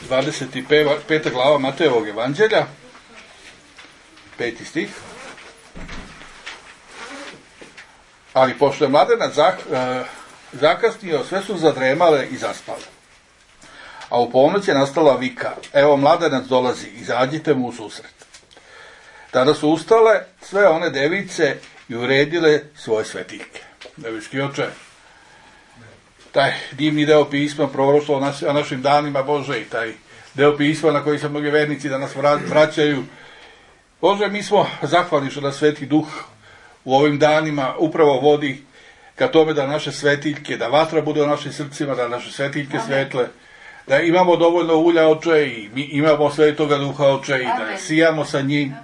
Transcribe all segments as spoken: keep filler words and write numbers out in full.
dvadeset peta glava Matejevog evanđelja, peti stih. Ali pošto je mladenac zak, e, zakasnio, sve su zadremale i zaspale. A u ponoć je nastala vika, evo mladenac dolazi, izađite mu u susret. Tada su ustale sve one device i uredile svoje svetiljke. Nebeski oče, taj divni deo pisma proroštvo o našim danima, Bože, i taj deo pisma na koji se mnogi vernici danas vraćaju. Bože, mi smo zahvalni što da Sveti Duh u ovim danima upravo vodi ka tome da naše svetiljke, da vatra bude u našim srcima, da naše svetiljke svetle, da imamo dovoljno ulja, oče, i mi imamo Svetoga Duha, oče, i da sijamo sa njim.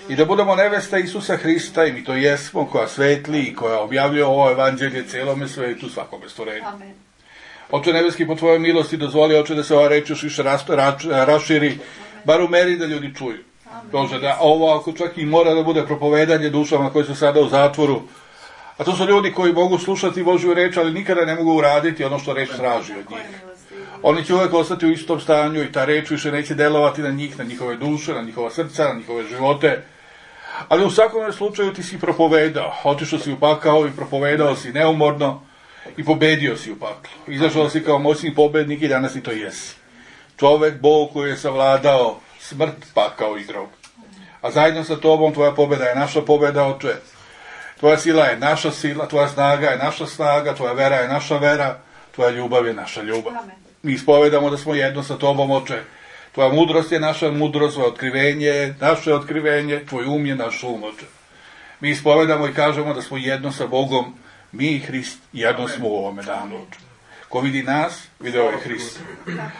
I da budemo nevesta Isusa Hrista, i mi to jesmo, koja svetli i koja objavljuje ovo evanđelje celome svetu, svakome stvorenju. Oče nebeski, po tvojoj milosti dozvoli, oče, da se ova reč još više raširi, bar u meri da ljudi čuju. Bože, da ovo ako čak i mora da bude propovedanje dušama koji su sada u zatvoru, a to su ljudi koji mogu slušati Božju reč, ali nikada ne mogu uraditi ono što reč traži od njih. Oni će uvek ostati u istom stanju i ta reč više neće delovati na njih, na njihove duše, na njihova srca, na njihove živote. Ali u svakom slučaju ti si propovedao, otišao si u pakao i propovedao si neumorno i pobedio si u paklu. Izašao si kao moćni pobednik i danas i to jesi. Čovek, Bog koji je savladao smrt, pakao i grob. A zajedno sa tobom tvoja pobeda je naša pobeda, oče. Tvoja sila je naša sila, tvoja snaga je naša snaga, tvoja vera je naša vera, tvoja ljubav je naša ljubav. Mi ispovedamo da smo jedno sa tobom, oče. Tvoja mudrost je naša mudrost, tvoje otkrivenje je naše otkrivenje, tvoj um je naš um, oče. Mi ispovedamo i kažemo da smo jedno sa Bogom, mi i Hrist jedno smo u ovome danu, oče. Ko vidi nas, video je Hrist.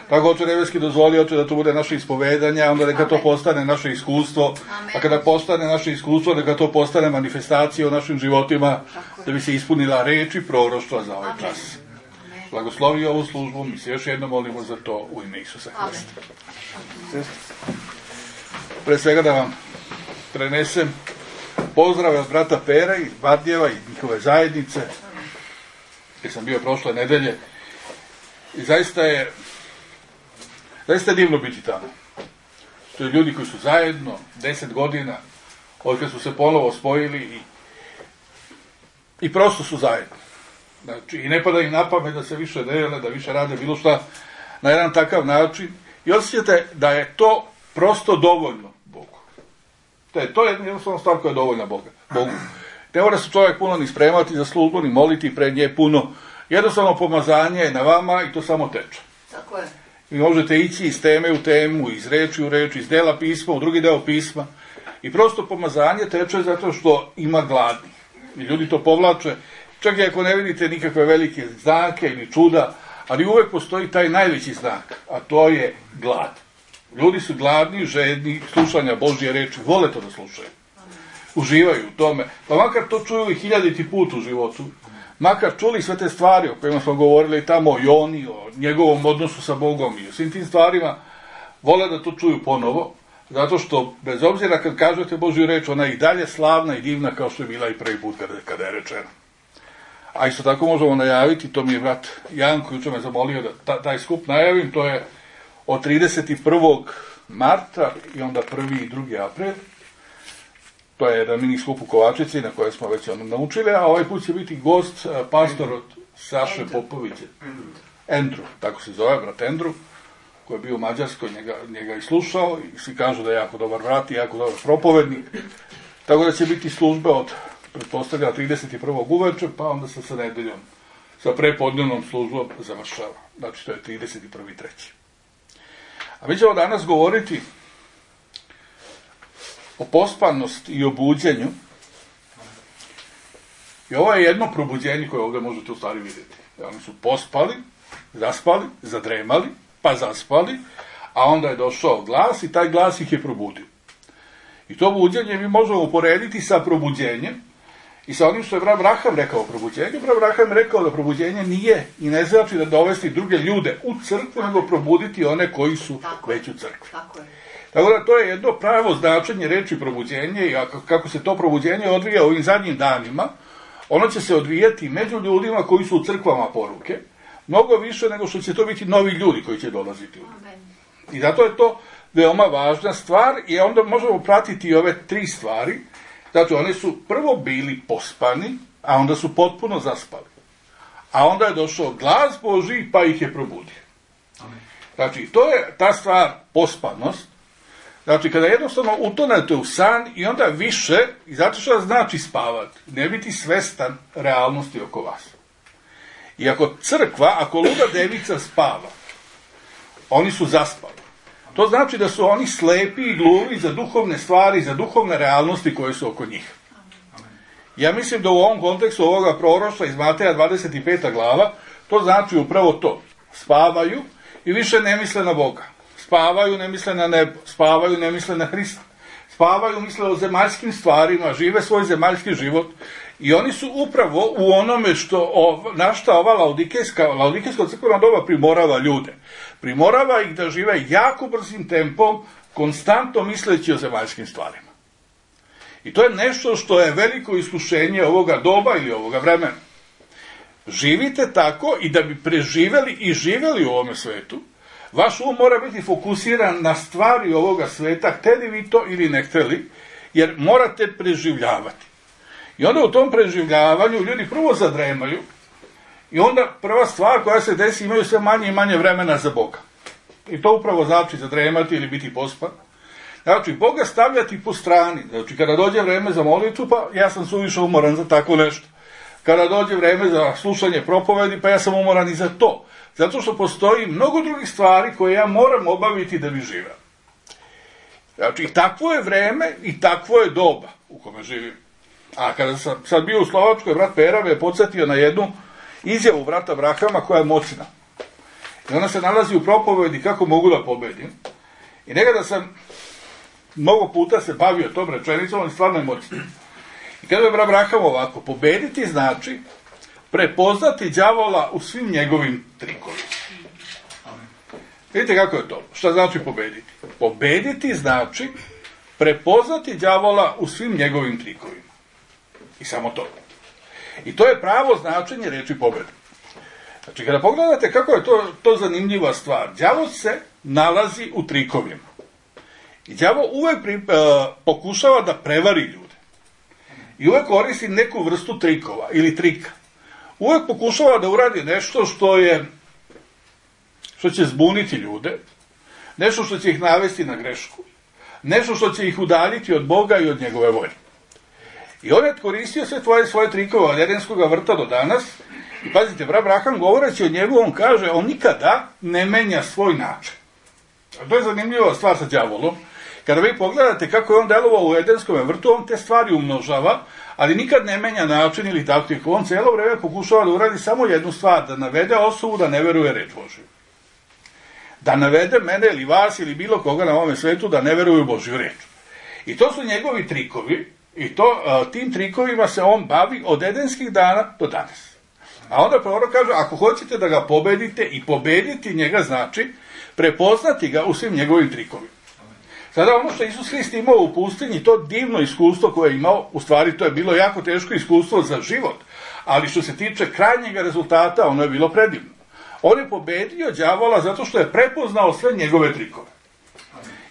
Tako, oče nebeski, dozvoli, oče, da to bude naše ispovedanje, onda neka to postane naše iskustvo, a kada postane naše iskustvo, neka to postane manifestacija u našim životima, da bi se ispunila reč i proroštva za ovaj čas. Blagoslovi ovu službu, mi se još jedno molimo za to u ime Isusa Hrista. Pre svega da vam prenesem pozdrave od brata Pera iz Bardjeva i njihove zajednice, gdje sam bio prošle nedelje. I zaista je zaista je divno biti tamo. To je ljudi koji su zajedno deset godina, od kad su se ponovo spojili i, i prosto su zajedno. Znači, i ne pada im na pamet da se više dele, da više rade bilo šta na jedan takav način. I osjećate da je to prosto dovoljno Bogu. To je, to je jednostavno stvar koja je dovoljna Boga, Bogu. Ne mora se čovjek puno ni spremati za službu, ni moliti pred nje puno. Jednostavno pomazanje je na vama i to samo teče. Tako je. Vi možete ići iz teme u temu, iz reči u reč, iz dela pisma u drugi deo pisma. I prosto pomazanje teče zato što ima gladni. I ljudi to povlače. Čak i ako ne vidite nikakve velike znake ili čuda, ali uvek postoji taj najveći znak, a to je glad. Ljudi su gladni, žedni slušanja Božje reči, vole to da slušaju. Uživaju u tome. Pa makar to čuju i hiljaditi put u životu, makar čuli sve te stvari o kojima smo govorili tamo o Joni, o njegovom odnosu sa Bogom i o svim tim stvarima, vole da to čuju ponovo, zato što, bez obzira kad kažete Božju reč, ona je i dalje slavna i divna kao što je bila i prvi put kada, kada je rečena. A isto tako možemo najaviti, to mi je brat Janko juče me zamolio da ta, taj skup najavim, to je od trideset prvog marta i onda prvi i drugi april. To je jedan mini skup u Kovačici na koje smo već ono naučili, a ovaj put će biti gost, pastor od Saše Popoviće. Andrew, tako se zove, brat Andrew, koji je bio u Mađarskoj, njega, njega i slušao i svi kažu da je jako dobar brat i jako dobar propovednik. Tako da će biti službe od, pretpostavlja, trideset prvog uveče, pa onda sa, sa nedeljom, sa prepodnevnom službom završava. Znači, to je trideset prvi treći A mi ćemo danas govoriti o pospanosti i o buđenju. I ovo je jedno probuđenje koje ovdje možete u stvari vidjeti. Oni su pospali, zaspali, zadremali, pa zaspali, a onda je došao glas i taj glas ih je probudio. I to buđenje mi možemo uporediti sa probuđenjem i sa onim što je brat Abraham rekao o probuđenju. Brat Abraham je rekao da probuđenje nije i ne znači da dovesti druge ljude u crkvu, nego probuditi one koji su tako već u crkvi. Tako je. Tako da to je jedno pravo značenje reči probuđenje i kako se to probuđenje odvija u ovim zadnjim danima, ono će se odvijati među ljudima koji su u crkvama poruke, mnogo više nego što će to biti novi ljudi koji će dolaziti u njih. I zato je to veoma važna stvar i onda možemo pratiti i ove tri stvari. Znači, oni su prvo bili pospani, a onda su potpuno zaspali. A onda je došao glas Božji, pa ih je probudio. Znači, to je ta stvar pospanost. Znači, kada jednostavno utonete u san i onda više, i zato što znači spavati, ne biti svestan realnosti oko vas. I ako crkva, ako luda devica spava, oni su zaspali. To znači da su oni slepi i gluvi za duhovne stvari, za duhovne realnosti koje su oko njih. Ja mislim da u ovom kontekstu ovoga proroštva iz Mateja dvadeset peta glava, to znači upravo to. Spavaju i više ne misle na Boga. Spavaju, ne misle na nebo. Spavaju, ne misle na Hrista. Spavaju, misle o zemaljskim stvarima, žive svoj zemaljski život. I oni su upravo u onome što, na šta ova laodikejska, laodikejsko crkveno doba primorava ljude. Primorava ih da žive jako brzim tempom, konstantno misleći o zemaljskim stvarima. I to je nešto što je veliko iskušenje ovoga doba ili ovoga vremena. Živite tako i da bi preživeli i živeli u ovome svetu, vaš um mora biti fokusiran na stvari ovoga sveta, hteli vi to ili ne hteli, jer morate preživljavati. I onda u tom preživljavanju ljudi prvo zadremaju i onda prva stvar koja se desi, imaju sve manje i manje vremena za Boga. I to upravo znači zadremati ili biti pospan. Znači, Boga stavljati po strani. Znači, kada dođe vreme za molitvu, pa ja sam suviše umoran za tako nešto. Kada dođe vreme za slušanje propovedi, pa ja sam umoran i za to. Zato što postoji mnogo drugih stvari koje ja moram obaviti da bi živeo. Znači, takvo je vreme i takvo je doba u kome živim. A kada sam sad bio u Slovačkoj, brat Pera me je podsjetio na jednu izjavu brata Brahama koja je moćna. I ona se nalazi u propovedi kako mogu da pobedim. I nekada sam mnogo puta se bavio tom rečenicom, ali stvarno je moćno. I kada je brat Braham ovako, pobediti znači prepoznati đavola u svim njegovim trikovima. Vidite kako je to? Šta znači pobediti? Pobediti znači prepoznati đavola u svim njegovim trikovima. I samo to. I to je pravo značenje reči pobede. Znači, kada pogledate kako je to, to zanimljiva stvar, đavo se nalazi u trikovima. I đavo uvek pri, uh, pokušava da prevari ljude. I uvek koristi neku vrstu trikova ili trika. Uvek pokušava da uradi nešto što je, što će zbuniti ljude, nešto što će ih navesti na grešku, nešto što će ih udaljiti od Boga i od njegove volje. I on je koristio sve tvoje svoje trikove od Edenskog vrta do danas. I pazite, brat Braham govoreći o njemu, on kaže, on nikada ne menja svoj način. A to je zanimljiva stvar sa đavolom. Kada vi pogledate kako je on delovao u Edenskom vrtu, on te stvari umnožava, ali nikad ne menja način ili taktiku. On cijelo vreme pokušava da uradi samo jednu stvar, da navede osobu da ne veruje reč Božju. Da navede mene ili vas ili bilo koga na ovome svetu da ne veruje u Božju reč. I to su njegovi trikovi, i to, tim trikovima se on bavi od edenskih dana do danas. A onda prorok kaže, ako hoćete da ga pobedite, i pobediti njega znači prepoznati ga u svim njegovim trikovima. Sada ono što Isus Hrist imao u pustinji, to divno iskustvo koje je imao, u stvari to je bilo jako teško iskustvo za život, ali što se tiče krajnjega rezultata, ono je bilo predivno. On je pobedio đavola zato što je prepoznao sve njegove trikove.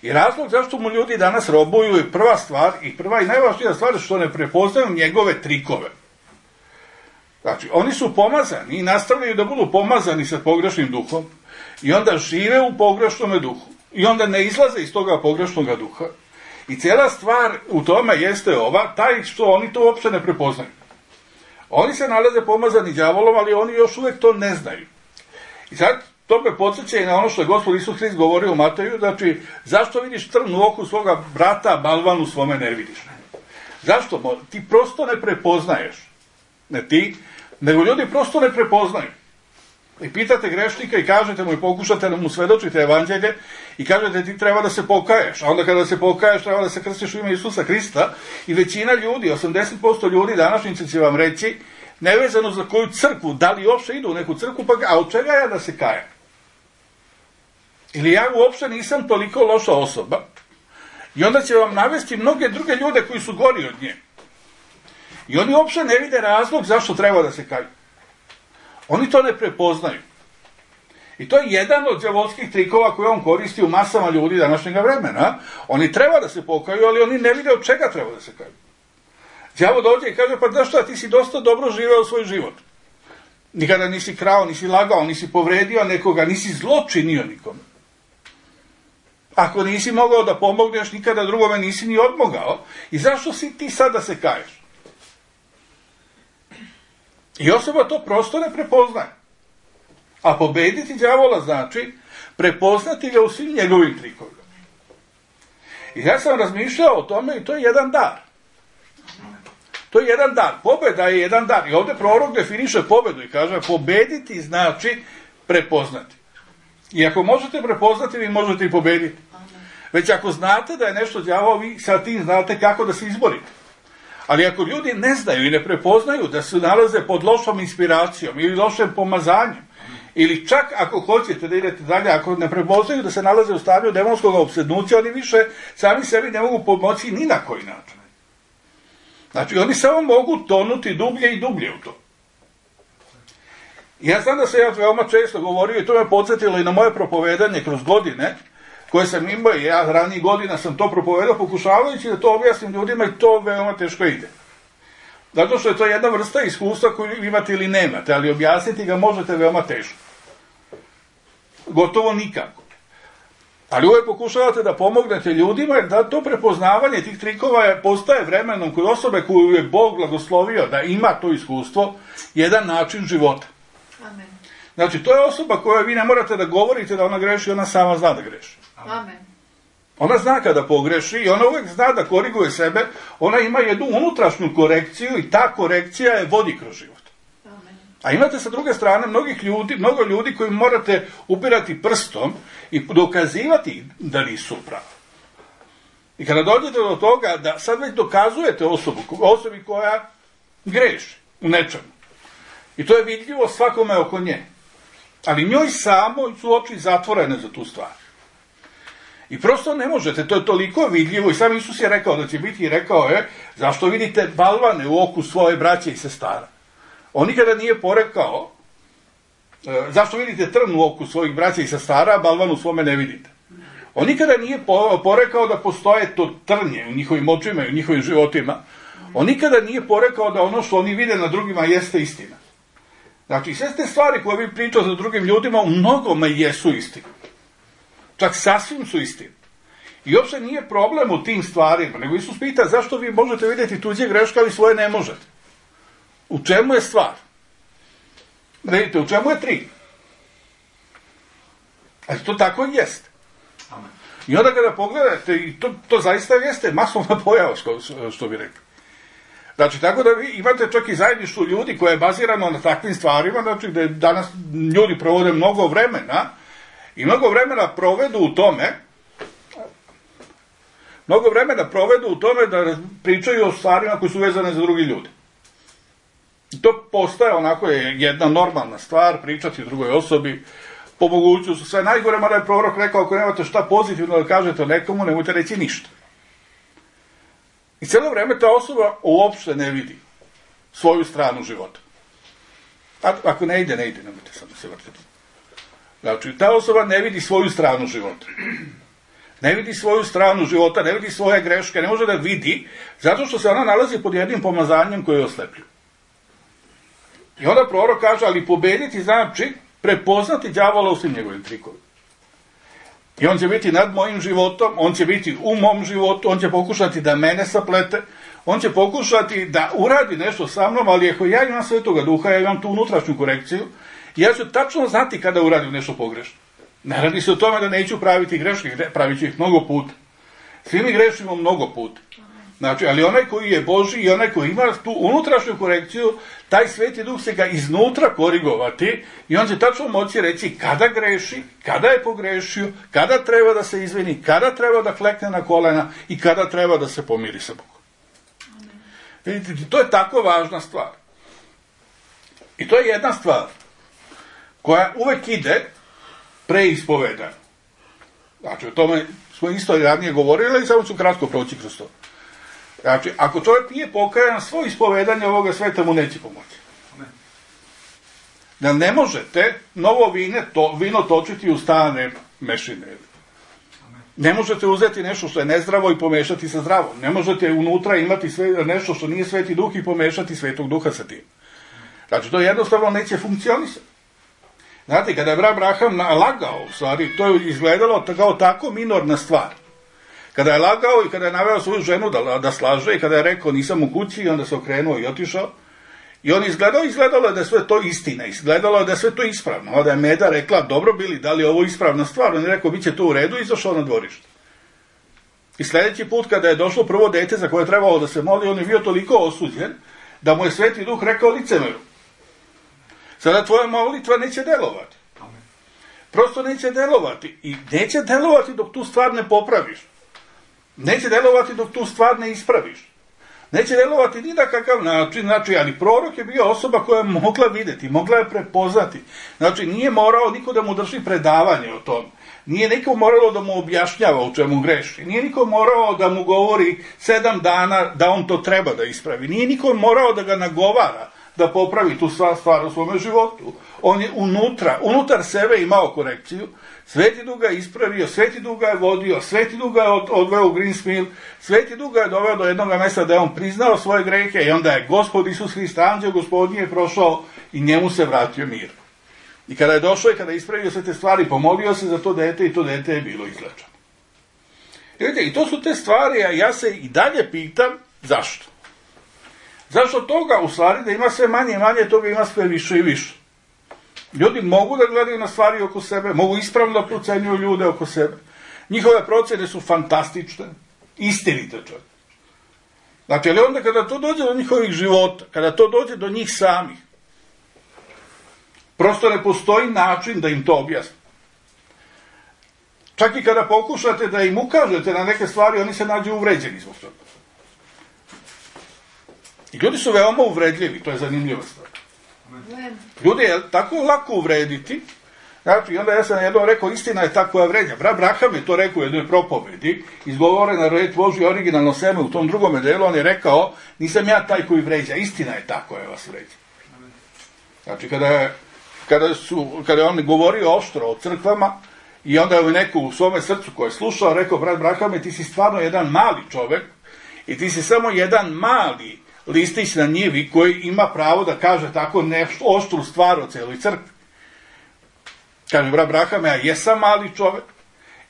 I razlog zašto mu ljudi danas robuju je prva stvar, i prva i najvažnija stvar, što ne prepoznaju njegove trikove. Znači, oni su pomazani i nastavljaju da budu pomazani sa pogrešnim duhom i onda žive u pogrešnome duhu i onda ne izlaze iz toga pogrešnog duha. I cijela stvar u tome jeste ova, taj što oni to uopšte ne prepoznaju. Oni se nalaze pomazani đavolom, ali oni još uvek to ne znaju. I sad, to me podsjeća i na ono što je Gospod Isus Hrist govorio u Mateju, znači, zašto vidiš trn u oku svoga brata, a balvan u svome ne vidiš? Zašto? Ti prosto ne prepoznaješ. Ne ti, nego ljudi prosto ne prepoznaju. I pitate grešnika i kažete mu i pokušate da mu svedočite evanđelje i kažete ti treba da se pokaješ, a onda kada se pokaješ treba da se krstiš u ime Isusa Hrista i većina ljudi, osamdeset posto ljudi današnjice će vam reći, nevezano za koju crkvu, da li uopšte idu u neku crkvu, pa a od čega ja da se kajem? Ili ja uopšte nisam toliko loša osoba i onda će vam navesti mnoge druge ljude koji su gori od nje. I oni uopšte ne vide razlog zašto treba da se kaju. Oni to ne prepoznaju. I to je jedan od đavolskih trikova koje on koristi u masama ljudi današnjega vremena. Oni treba da se pokaju, ali oni ne vide od čega treba da se kaju. Đavo dođe i kaže, pa znaš šta, ti si dosta dobro živeo svoj život. Nikada nisi krao, nisi lagao, nisi povredio nekoga, nisi zlo činio nikome. Ako nisi mogao da pomogneš, nikada drugome nisi ni odmogao. I zašto si ti sad da se kaješ? I osoba to prosto ne prepoznaje. A pobediti đavola znači prepoznati ga u svim njegovim trikovima. I ja sam razmišljao o tome i to je jedan dar. To je jedan dar. Pobeda je jedan dar. I ovdje prorok definiše pobedu i kaže pobediti znači prepoznati. I ako možete prepoznati, vi možete i pobediti. Već ako znate da je nešto đavo, vi sa tim znate kako da se izborite. Ali ako ljudi ne znaju i ne prepoznaju da se nalaze pod lošom inspiracijom ili lošem pomazanjem, ili čak ako hoćete da idete dalje, ako ne prepoznaju da se nalaze u stanju demonskog opsednuća, oni više sami sebi ne mogu pomoći ni na koji način. Znači, oni samo mogu tonuti dublje i dublje u to. Ja znam da se ja veoma često govorio i to me podsjetilo i na moje propovedanje kroz godine, koje sam imao i ja ranijih godina sam to propovedao pokušavajući da to objasnim ljudima i to veoma teško ide. Zato što je to jedna vrsta iskustva koju imate ili nemate, ali objasniti ga možete veoma teško. Gotovo nikako. Ali uvijek pokušavate da pomognete ljudima jer da to prepoznavanje tih trikova postaje vremenom kod osobe koju je Bog blagoslovio da ima to iskustvo, jedan način života. Amen. Znači, to je osoba koja vi ne morate da govorite da ona greši, ona sama zna da greši. Amen. Ona zna kada pogreši i ona uvijek zna da koriguje sebe, ona ima jednu unutrašnju korekciju i ta korekcija je vodi kroz život. Amen. A imate sa druge strane mnogih ljudi, mnogo ljudi koji morate upirati prstom i dokazivati da nisu pravi. I kada dođete do toga da sad već dokazujete osobu, osobi koja greši u nečemu. I to je vidljivo svakome oko nje. Ali njoj samo su oči zatvorene za tu stvar. I prosto ne možete, to je toliko vidljivo i sam Isus je rekao da će biti i rekao je, zašto vidite balvane u oku svoje braće i sestara? On nikada nije porekao, e, zašto vidite trn u oku svojih braća i sestara, a balvan u svome ne vidite? On nikada nije porekao da postoje to trnje u njihovim očima i u njihovim životima. On nikada nije porekao da ono što oni vide na drugima jeste istina. Znači, sve te stvari koje vi pričate za drugim ljudima u mnogome jesu istina. Čak sasvim su istine. I uopšte nije problem u tim stvarima, nego Isus pita zašto vi možete vidjeti tuđe greške, ali svoje ne možete. U čemu je stvar? Vidite, u čemu je trik? A to tako i jeste. I onda kada pogledate, i to, to zaista jeste masovna pojava, što, što bi rekli. Znači, tako da vi imate čak i zajedništvo ljudi koje je bazirano na takvim stvarima, znači da danas ljudi provode mnogo vremena i mnogo vremena provedu u tome, mnogo vremena provedu u tome da pričaju o stvarima koje su vezane za drugi ljudi. I to postaje onako je jedna normalna stvar, pričati o drugoj osobi, po mogućnosti sve najgore, mada je prorok rekao, ako nemate šta pozitivno da kažete o nekomu, nemojte reći ništa. I cijelo vreme ta osoba uopšte ne vidi svoju stranu života. A, ako ne ide, ne ide, nemojte sad da se vrtiti. Znači, ta osoba ne vidi svoju stranu života. Ne vidi svoju stranu života, ne vidi svoje greške, ne može da vidi, zato što se ona nalazi pod jednim pomazanjem koje je oslepljivo. I onda prorok kaže, ali pobediti znači prepoznati đavola u svim njegovim trikovima. I on će biti nad mojim životom, on će biti u mom životu, on će pokušati da mene saplete, on će pokušati da uradi nešto sa mnom, ali ako ja imam Svetoga Duha, ja imam tu unutrašnju korekciju, ja ću tačno znati kada uradim nešto pogrešno. Ne radi se o tome da neću praviti greške, pravit ću ih mnogo puta. Svi mi grešimo mnogo puta. Znači, ali onaj koji je Božji i onaj koji ima tu unutrašnju korekciju, taj Sveti Duh se ga iznutra korigovati i on će tačno moći reći kada greši, kada je pogrešio, kada treba da se izvini, kada treba da klekne na kolena i kada treba da se pomiri sa Bogom. Vidite, to je tako važna stvar. I to je jedna stvar koja uvek ide pre ispovedanja. Znači, o tome smo isto ranije govorili i samo ću kratko proći kroz to. Znači, ako čovjek nije pokajan, svoje ispovedanje ovoga sveta mu neće pomoći. da ne možete novo vine, to, vino točiti u stare mešine. Ne možete uzeti nešto što je nezdravo i pomešati sa zdravom. Ne možete unutra imati sve, nešto što nije Sveti Duh i pomešati Svetog Duha sa tim. Znači, to jednostavno neće funkcionisati. Znate, kada je Abraham lagao, u stvari, to je izgledalo kao tako minorna stvar. Kada je lagao i kada je naveo svoju ženu da, da slaže i kada je rekao nisam u kući i onda se okrenuo i otišao, i on izgledao, izgledalo je da je sve to istina, izgledalo je da je sve to ispravno. Onda je Meda rekla, dobro Bili, da li je ovo ispravna stvar? On je rekao, bit će to u redu i izašao na dvorište. I sljedeći put kada je došlo prvo dete za koje je trebalo da se moli, on je bio toliko osuđen da mu je Sveti Duh rekao licemeru. Sada tvoja molitva neće delovati. Prosto neće delovati. I neće delovati dok tu stvar ne popraviš. Neće delovati dok tu stvar ne ispraviš. Neće delovati ni na kakav način, znači, ali prorok je bio osoba koja je mogla vidjeti, mogla je prepoznati. Znači, nije morao niko da mu drži predavanje o tom. Nije niko moralo da mu objašnjava u čemu greši. Nije niko morao da mu govori sedam dana da on to treba da ispravi. Nije niko morao da ga nagovara da popravi tu stvar u svome životu. On je unutra, unutar sebe imao korekciju. Sveti Duh ga je ispravio, Sveti Duh ga je vodio, Sveti Duh ga je odveo u Greensmill, Sveti Duh ga je doveo do jednog mjesta da je on priznao svoje grehe i onda je Gospod Isus Hrist, anđeo Gospodnji je prošao i njemu se vratio mir. I kada je došao i kada je ispravio sve te stvari, pomolio se za to dete i to dete je bilo izlečeno. I vidite, i to su te stvari, a ja se i dalje pitam zašto. Zašto toga, u stvari, da ima sve manje i manje, toga ima sve više i više. Ljudi mogu da gledaju na stvari oko sebe, mogu ispravno da procenjuju ljude oko sebe. Njihove procene su fantastične, istinite čovjek. Znači, ali onda kada to dođe do njihovih života, kada to dođe do njih samih, prosto ne postoji način da im to objasni. Čak i kada pokušate da im ukažete na neke stvari, oni se nađu uvređeni zbog toga. I ljudi su veoma uvredljivi, to je zanimljiva stvar. Ljudi je tako lako uvrediti, znači, onda ja sam jednom rekao, istina je ta koja vređa. Abraham je to rekao u jednoj propovedi, izgovorena reč Božja originalno seme u tom drugome delu, on je rekao, nisam ja taj koji vređa, istina je ta koja vas vređa. Znači, kada je, kada su, kada je on govorio oštro o crkvama, i onda je neko u svome srcu koje je slušao, rekao, brat Abrahame, ti si stvarno jedan mali čovek, i ti si samo jedan mali listić na njivi koji ima pravo da kaže tako nešto oštru stvar o celoj crkvi. Kaže, brat Abrahame, ja jesam mali čovek,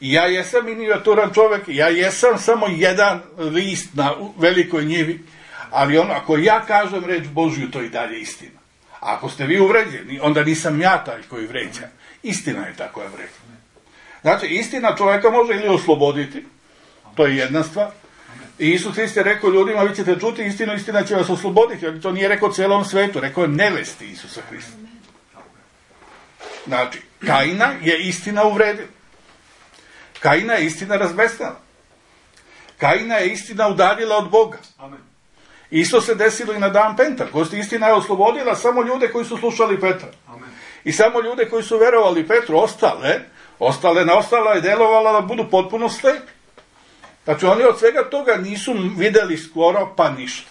i ja jesam minijaturan čovek, i ja jesam samo jedan list na velikoj njivi, ali ono, ako ja kažem reč Božju, to i dalje istina. A ako ste vi uvređeni, onda nisam ja taj koji vređa. Istina je ta koja vređa. Znači, istina čoveka može ili osloboditi, to je jedna stvar. I Isus Hrist je rekao ljudima, vi ćete čuti istinu, istina će vas osloboditi, ali to nije rekao celom svetu, rekao je nevesti Isusa Hrista. Znači, Kaina je istina uvredila. Kaina je istina razbesnala. Kaina je istina udaljila od Boga. Isto se desilo i na dan Pentekosta. Istina je oslobodila samo ljude koji su slušali Petra. I samo ljude koji su verovali Petru, ostale, ostale na ostala je delovala da budu potpuno slepi. Znači, oni od svega toga nisu videli skoro pa ništa.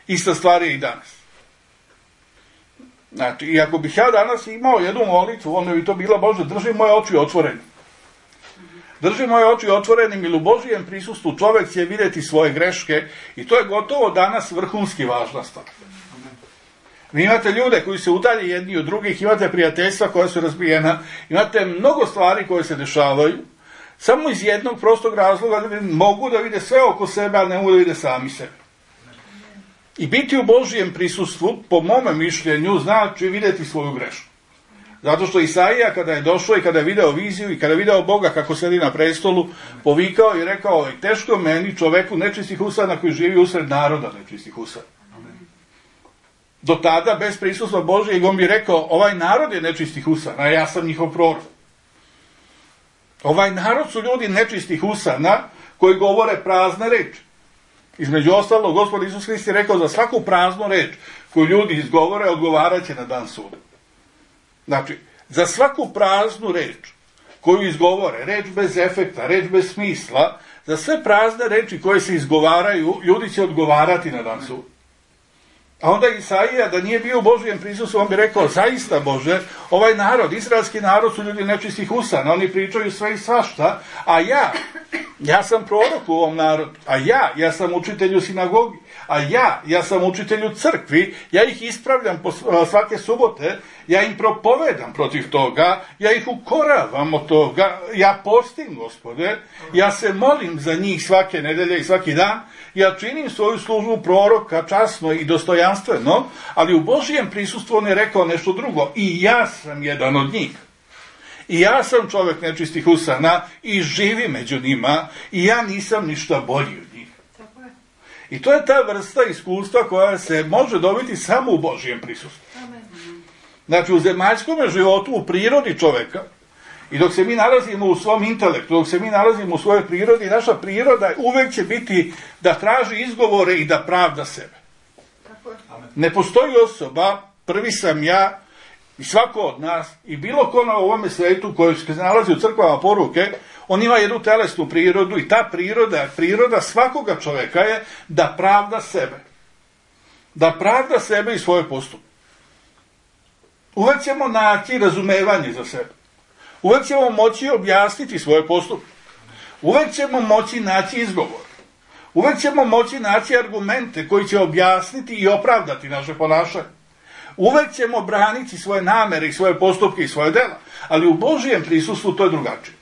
Ista stvar je i danas. Znači, i ako bih ja danas imao jednu molitvu, onda bi to bila, Bože, drži moje oči otvorene. Drži moje oči otvorenim, ili u Božijem prisustvu čovjek će vidjeti svoje greške, i to je gotovo danas vrhunski važna stvar. Vi imate ljude koji se udalje jedni od drugih, imate prijateljstva koja su razbijena, imate mnogo stvari koje se dešavaju, samo iz jednog prostog razloga da mogu da vide sve oko sebe, ali ne mogu da vide sami sebe. I biti u Božijem prisustvu, po mome mišljenju, znači vidjeti svoju grešku. Zato što Isaija, kada je došao i kada je video viziju i kada je video Boga kako sedi na prestolu, povikao i rekao, teško meni, čoveku nečistih usana koji živi usred naroda nečistih usana. Do tada, bez prisustva Božijeg, on bi rekao, ovaj narod je nečistih usana, a ja sam njihov prorok. Ovaj narod su ljudi nečistih usana koji govore prazne reči. Između ostalog, Gospod Isus Hrist je rekao, za svaku praznu reč koju ljudi izgovore, odgovarat će na dan suda. Znači, za svaku praznu reč koju izgovore, reč bez efekta, reč bez smisla, za sve prazne reči koje se izgovaraju, ljudi će odgovarati na dan suda. A onda Isaija, da nije bio u Božijem prisustvu, on bi rekao, zaista Bože, ovaj narod, izraelski narod su ljudi nečistih usana, oni pričaju sve i svašta, a ja, ja sam prorok u ovom narodu, a ja, ja sam učitelj u sinagogi, a ja, ja sam učitelj u crkvi, ja ih ispravljam po svake subote, ja im propovedam protiv toga, ja ih ukoravam od toga, ja postim, Gospode, ja se molim za njih svake nedelje i svaki dan, ja činim svoju službu proroka časno i dostojanstveno, ali u Božijem prisustvu on je rekao nešto drugo, i ja sam jedan od njih. I ja sam čovjek nečistih usana i živim među njima i ja nisam ništa bolji od njih. I to je ta vrsta iskustva koja se može dobiti samo u Božijem prisustvu. Znači u zemaljskom životu, u prirodi čovjeka, i dok se mi nalazimo u svom intelektu, dok se mi nalazimo u svojoj prirodi, naša priroda uvek će biti da traži izgovore i da pravda sebe. Ne postoji osoba, prvi sam ja, i svako od nas, i bilo ko na ovome svetu koji se nalazi u crkvama poruke, on ima jednu telesnu prirodu i ta priroda, priroda svakoga čoveka je da pravda sebe. Da pravda sebe i svoje postupke. Uvek ćemo naći razumevanje za sebe. Uvek ćemo moći objasniti svoje postupke. Uvek ćemo moći naći izgovor. Uvek ćemo moći naći argumente koji će objasniti i opravdati naše ponašanje. Uvek ćemo braniti svoje namere i svoje postupke i svoje dela, ali u Božijem prisustvu to je drugačije.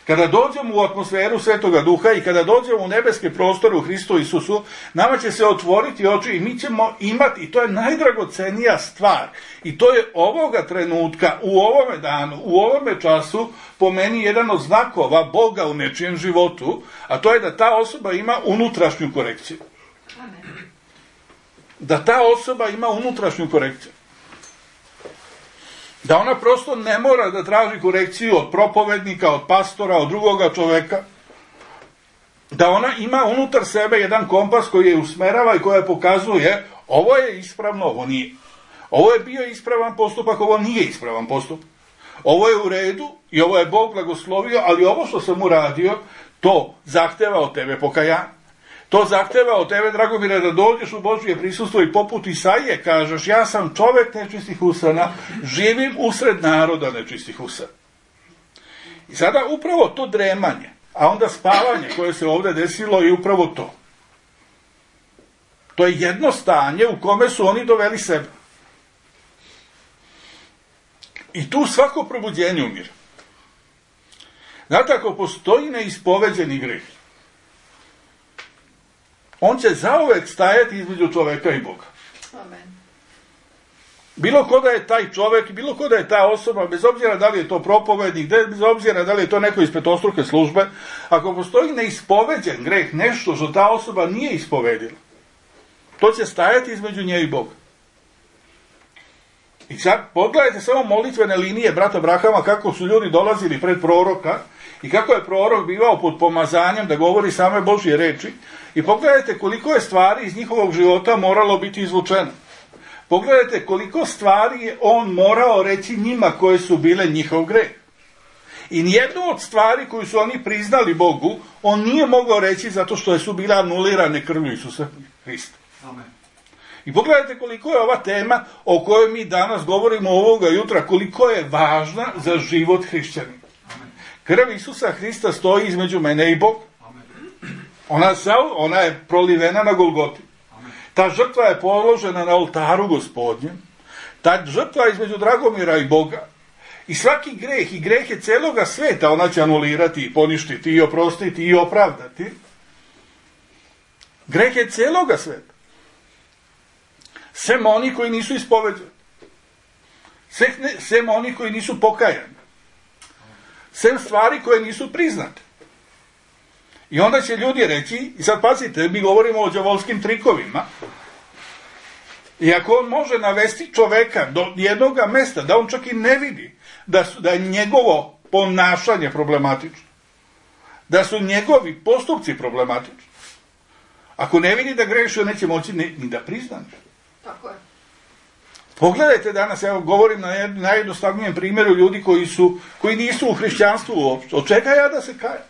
Kada dođemo u atmosferu Svetoga Duha i kada dođemo u nebeske prostore u Hristu Isusu, nama će se otvoriti oči i mi ćemo imati, i to je najdragocenija stvar, i to je ovoga trenutka, u ovome danu, u ovome času, po meni jedan od znakova Boga u nečijem životu, a to je da ta osoba ima unutrašnju korekciju. Da ta osoba ima unutrašnju korekciju. Da ona prosto ne mora da traži korekciju od propovednika, od pastora, od drugoga čoveka. Da ona ima unutar sebe jedan kompas koji je usmerava i koja pokazuje ovo je ispravno, ovo nije. Ovo je bio ispravan postupak, ovo nije ispravan postupak. Ovo je u redu i ovo je Bog blagoslovio, ali ovo što sam uradio, to zahteva od tebe pokajanje. To zahteva od tebe, Dragomire, da dođeš u Božje prisustvo i poput Isaije kažeš, ja sam čovjek nečistih usana, živim usred naroda nečistih usana. I sada upravo to dremanje, a onda spavanje koje se ovdje desilo je upravo to. To je jedno stanje u kome su oni doveli sebe. I tu svako probuđenje umire. Znate, ako postoji neispoveđeni greh, on će zauvek stajati između čoveka i Boga. Amen. Bilo ko da je taj čovek, bilo ko da je ta osoba, bez obzira da li je to propovednik, bez obzira da li je to neko iz petostruke službe, ako postoji neispoveđen greh, nešto što ta osoba nije ispovedila, to će stajati između nje i Boga. I sad pogledajte samo molitvene linije brata Abrahama, kako su ljudi dolazili pred proroka i kako je prorok bivao pod pomazanjem da govori same Božje reči. I pogledajte koliko je stvari iz njihovog života moralo biti izvučeno. Pogledajte koliko stvari je on morao reći njima koje su bile njihov greh. I nijednu od stvari koju su oni priznali Bogu, on nije mogao reći zato što su bile anulirane krvlju Isusa Hrista. Amen. I pogledajte koliko je ova tema o kojoj mi danas govorimo ovoga jutra, koliko je važna za život hrišćanina. Krv Isusa Hrista stoji između mene i Boga. Ona, ona je prolivena na Golgoti. Ta žrtva je položena na oltaru Gospodnjem. Ta žrtva između Dragomira i Boga. I svaki greh i grehe celoga sveta ona će anulirati i poništiti i oprostiti i opravdati. Grehe celoga sveta. Sem oni koji nisu ispoveđeni. Sem oni koji nisu pokajani. Sem stvari koje nisu priznate. I onda će ljudi reći, i sad pazite, mi govorimo o đavolskim trikovima, i ako on može navesti čoveka do jednog mesta, da on čak i ne vidi da, su, da je njegovo ponašanje problematično, da su njegovi postupci problematični, ako ne vidi da greši, on neće moći ni, ni da prizna. Tako je. Pogledajte danas, ja govorim na najjednostavnijem primjeru ljudi koji, su, koji nisu u hrišćanstvu uopšte. Od čega ja da se kajem?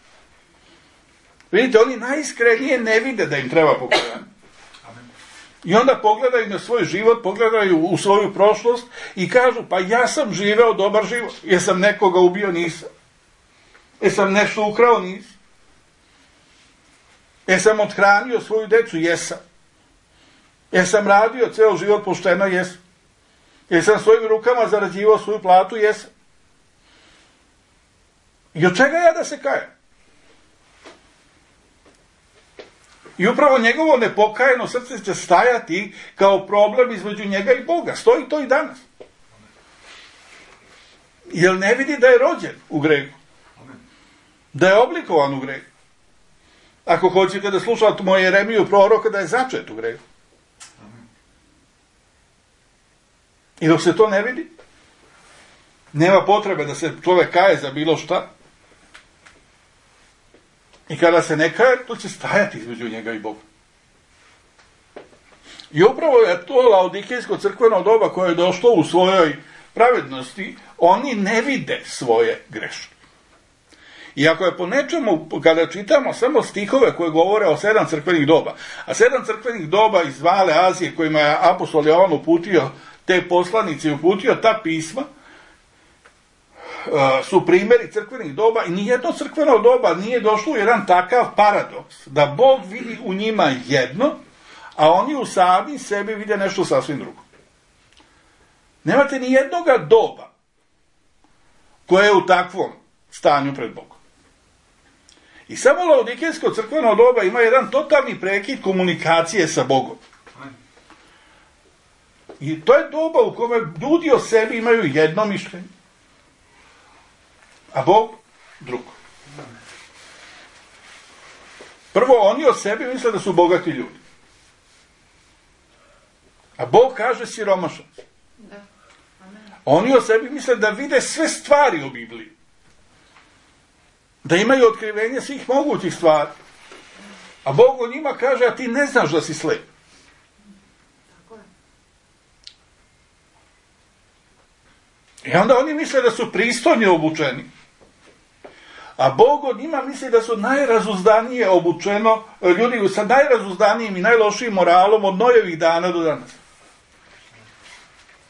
Vidite, oni najiskrenije ne vide da im treba pokajanje. I onda pogledaju na svoj život, pogledaju u svoju prošlost i kažu, pa ja sam živeo dobar život. Jesam nekoga ubio? Nisam. Jesam nešto ukrao? Nisam. Jesam othranio svoju decu? Jesam. Jesam radio ceo život pošteno? Jesam. Jesam svojim rukama zarađivao svoju platu? Jesam. I od čega ja da se kajem? I upravo njegovo nepokajeno srce će stajati kao problem između njega i Boga. Stoji to i danas. Jer ne vidi da je rođen u grehu. Da je oblikovan u grehu. Ako hoćete da slušate moje Jeremiju proroka, da je začet u grehu. I dok se to ne vidi, nema potrebe da se čovek kaje za bilo šta. I kada se ne kaje, to će stajati između njega i Boga. I upravo je to laodikejsko crkveno doba koje je došlo u svojoj pravednosti, oni ne vide svoje greške. I ako je po nečemu, kada čitamo samo stihove koje govore o sedam crkvenih doba, a sedam crkvenih doba iz Male Azije kojima je apostol Jovan uputio te poslanice i uputio ta pisma, su primjeri crkvenih doba i nijedno crkveno doba nije došlo u jedan takav paradoks da Bog vidi u njima jedno, a oni u sami sebi vide nešto sasvim drugo. Nemate ni jednoga doba koje je u takvom stanju pred Bogom. I samo laodikejsko crkveno doba ima jedan totalni prekid komunikacije sa Bogom. I to je doba u kome ljudi o sebi imaju jedno mišljenje, a Bog drugo. Prvo, oni o sebi misle da su bogati ljudi. A Bog kaže siromašan. Oni o sebi misle da vide sve stvari u Bibliji. Da imaju otkrivenje svih mogućih stvari. A Bog o njima kaže, a ti ne znaš da si slep. I onda oni misle da su pristojni obučeni. A Bog od njima misli da su najrazuzdanije obučeno, ljudi sa najrazuzdanijim i najlošijim moralom od Nojevih dana do danas.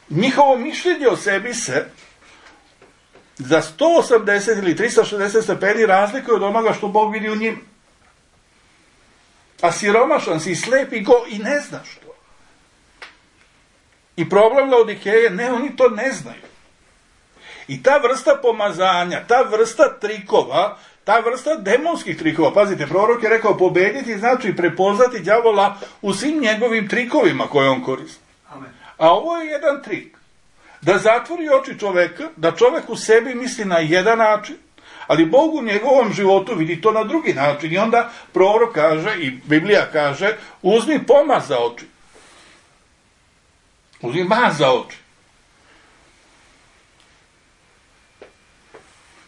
Njihovo mišljenje o sebi se za sto osamdeset ili trista šezdeset stepeni razlikuje od onoga što Bog vidi u njima. A siromašan si, slep i go i ne znaš to. I problem Laodikeje, ne, oni to ne znaju. I ta vrsta pomazanja, ta vrsta trikova, ta vrsta demonskih trikova, pazite, prorok je rekao pobediti znači prepoznati đavola u svim njegovim trikovima koje on koristi. Amen. A ovo je jedan trik. Da zatvori oči čoveka, da čovek u sebi misli na jedan način, ali Bog u njegovom životu vidi to na drugi način. I onda prorok kaže, i Biblija kaže, uzmi pomaz za oči. Uzmi maz za oči.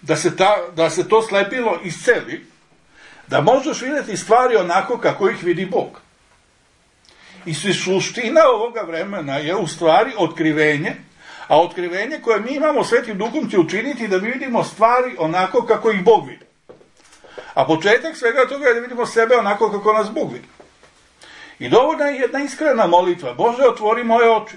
Da se, ta, da se to slepilo isceli, da možeš vidjeti stvari onako kako ih vidi Bog. I suština ovoga vremena je u stvari otkrivenje, a otkrivenje koje mi imamo Svetim Duhom će učiniti da vidimo stvari onako kako ih Bog vidi. A početak svega toga je da vidimo sebe onako kako nas Bog vidi. I dovoljna je jedna iskrena molitva. Bože, otvori moje oči.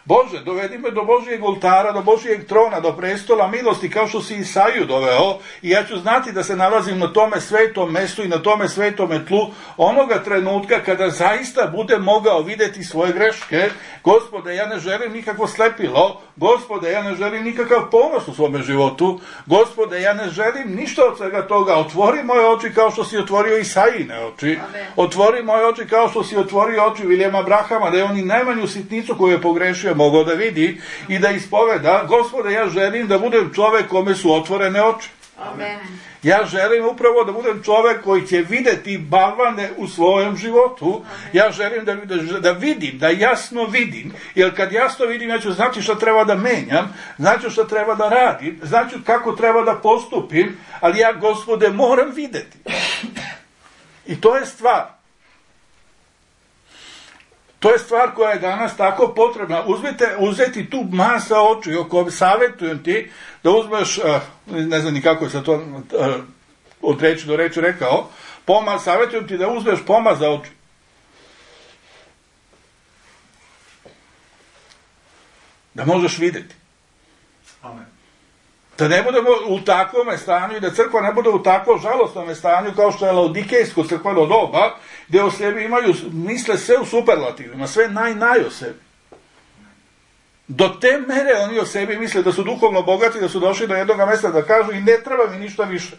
Bože, dovedi me do Božijeg oltara, do Božijeg trona, do prestola milosti, kao što si Isaju doveo, i ja ću znati da se nalazim na tome svetom mestu i na tome svetome tlu, onoga trenutka kada zaista budem mogao vidjeti svoje greške. Gospode, ja ne želim nikakvo slepilo, Gospode, ja ne želim nikakav ponos u svome životu, Gospode, ja ne želim ništa od svega toga. Otvori moje oči kao što si otvorio Isajine oči, otvori moje oči kao što si otvorio oči Vilijama Brahama, da je on i najmanju sitnicu koju je pogrešio mogao da vidi i da ispoveda. Gospode, ja želim da budem čovek kome su otvorene oči. Amen. Ja želim upravo da budem čovek koji će videti balvane u svojem životu. Amen. Ja želim da, da, da vidim, da jasno vidim, jer kad jasno vidim, ja ću znači šta treba da menjam, znači šta treba da radim, znači kako treba da postupim, ali ja, Gospode, moram videti. I to je stvar. To je stvar koja je danas tako potrebna. Uzmite, uzeti tu masa oči, oko savjetujem ti da uzmeš, ne znam ni kako je sa to od reči do reči rekao, pomaz, savjetujem ti da uzmeš pomaz za oči. Da možeš vidjeti. Amen. Da ne budemo u takvom stanju i da crkva ne bude u takvom žalostnom stanju kao što je laodikejsko crkveno doba, gdje o sebi imaju, misle sve u superlativima, sve naj, naj o sebi. Do te mere oni o sebi misle da su duhovno bogati, da su došli do jednog mjesta da kažu i ne treba mi ništa više.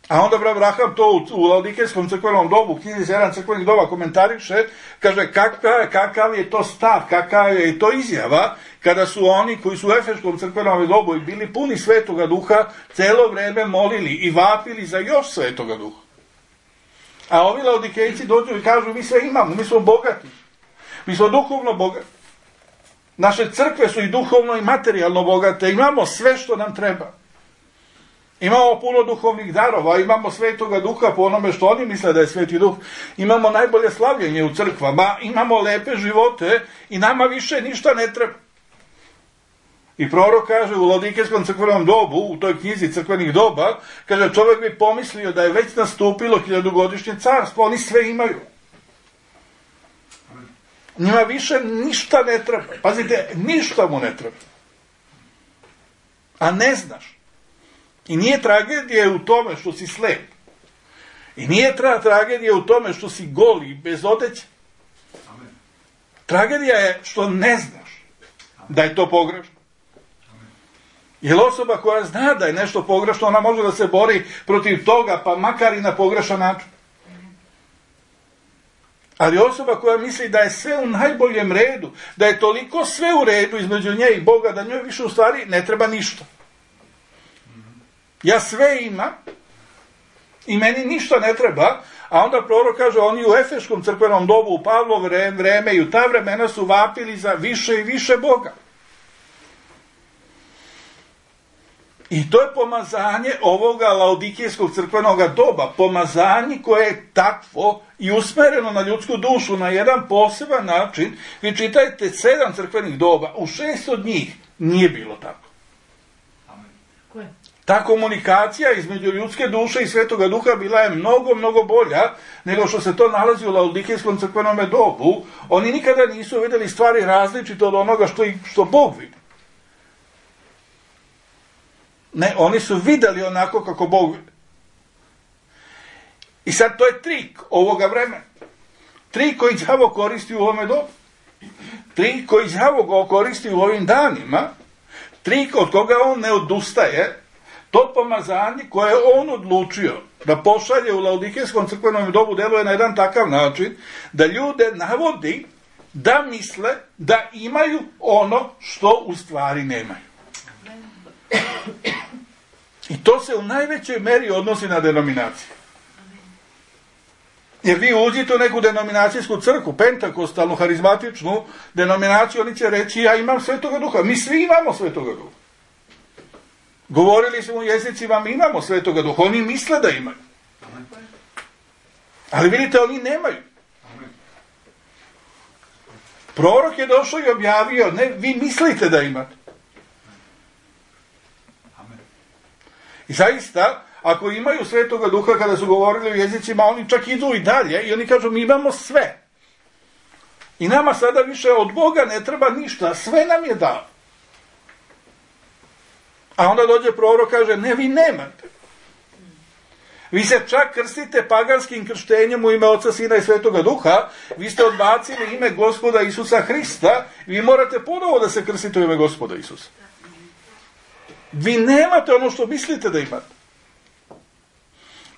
A onda Abraham to u, u laodikejskom crkvenom dobu, u knjizi sedam crkvenih doba komentariše, kaže kakav, kakav je to stav, kakav je to izjava, kada su oni koji su u efeškom crkvenom dobu i bili puni Svetoga Duha, celo vrijeme molili i vapili za još Svetoga Duha. A ovi laodikejci dođu i kažu mi sve imamo, mi smo bogati, mi smo duhovno bogati. Naše crkve su i duhovno i materijalno bogate, imamo sve što nam treba. Imamo puno duhovnih darova, imamo Svetoga Duha po onome što oni misle da je Sveti Duh, imamo najbolje slavljenje u crkvama, imamo lepe živote i nama više ništa ne treba. I prorok kaže u laodikejskom crkvenom dobu, u toj knjizi crkvenih doba, kaže čovjek bi pomislio da je već nastupilo hiljadugodišnje carstvo, oni sve imaju. Njima više ništa ne treba. Pazite, ništa mu ne treba. A ne znaš. I nije tragedija u tome što si slep. I nije tra- tragedija u tome što si goli, bez odeće. Amen. Tragedija je što ne znaš da je to pogrešno. Jer osoba koja zna da je nešto pogrešno, ona može da se bori protiv toga, pa makar i na pogrešan način. Ali osoba koja misli da je sve u najboljem redu, da je toliko sve u redu između nje i Boga, da njoj više u stvari ne treba ništa. Ja sve imam i meni ništa ne treba, a onda prorok kaže, oni u efeškom crkvenom dobu, u Pavlovo vreme i u ta vremena su vapili za više i više Boga. I to je pomazanje ovoga laodikejskog crkvenog doba, pomazanje koje je takvo i usmereno na ljudsku dušu na jedan poseban način. Vi čitajte sedam crkvenih doba, u šest od njih nije bilo tako. Amen. Ta komunikacija između ljudske duše i Svetoga Duha bila je mnogo, mnogo bolja nego što se to nalazi u laodikejskom crkvenom dobu. Oni nikada nisu vidjeli stvari različite od onoga što, i, što Bog vidi. Ne, oni su vidjeli onako kako Bog vidi. I sad to je trik ovoga vremena. Trik koji đavo koristi u ovome dobu. Trik koji đavo koristi u ovim danima. Trik od koga on ne odustaje. To pomazanje koje on odlučio da pošalje u laodikejskom crkvenom dobu deluje na jedan takav način da ljude navodi da misle da imaju ono što u stvari nemaju. I to se u najvećoj meri odnosi na denominacije. Jer vi uđite u neku denominacijsku crkvu, pentakostalnu, harizmatičnu denominaciju, oni će reći ja imam Svetoga Duha. Mi svi imamo Svetoga Duha. Govorili smo u jezicima, mi imamo Svetoga Duha. Oni misle da imaju. Ali vidite, oni nemaju. Prorok je došao i objavio, ne, vi mislite da imate. I zaista, ako imaju Svetoga Duha kada su govorili u jezicima, oni čak idu i dalje i oni kažu mi imamo sve. I nama sada više od Boga ne treba ništa, sve nam je dao. A onda dođe prorok, kaže, ne, vi nemate. Vi se čak krstite paganskim krštenjem u ime Oca, Sina i Svetoga Duha, vi ste odbacili ime Gospoda Isusa Hrista, vi morate ponovo da se krstite u ime Gospoda Isusa. Vi nemate ono što mislite da imate.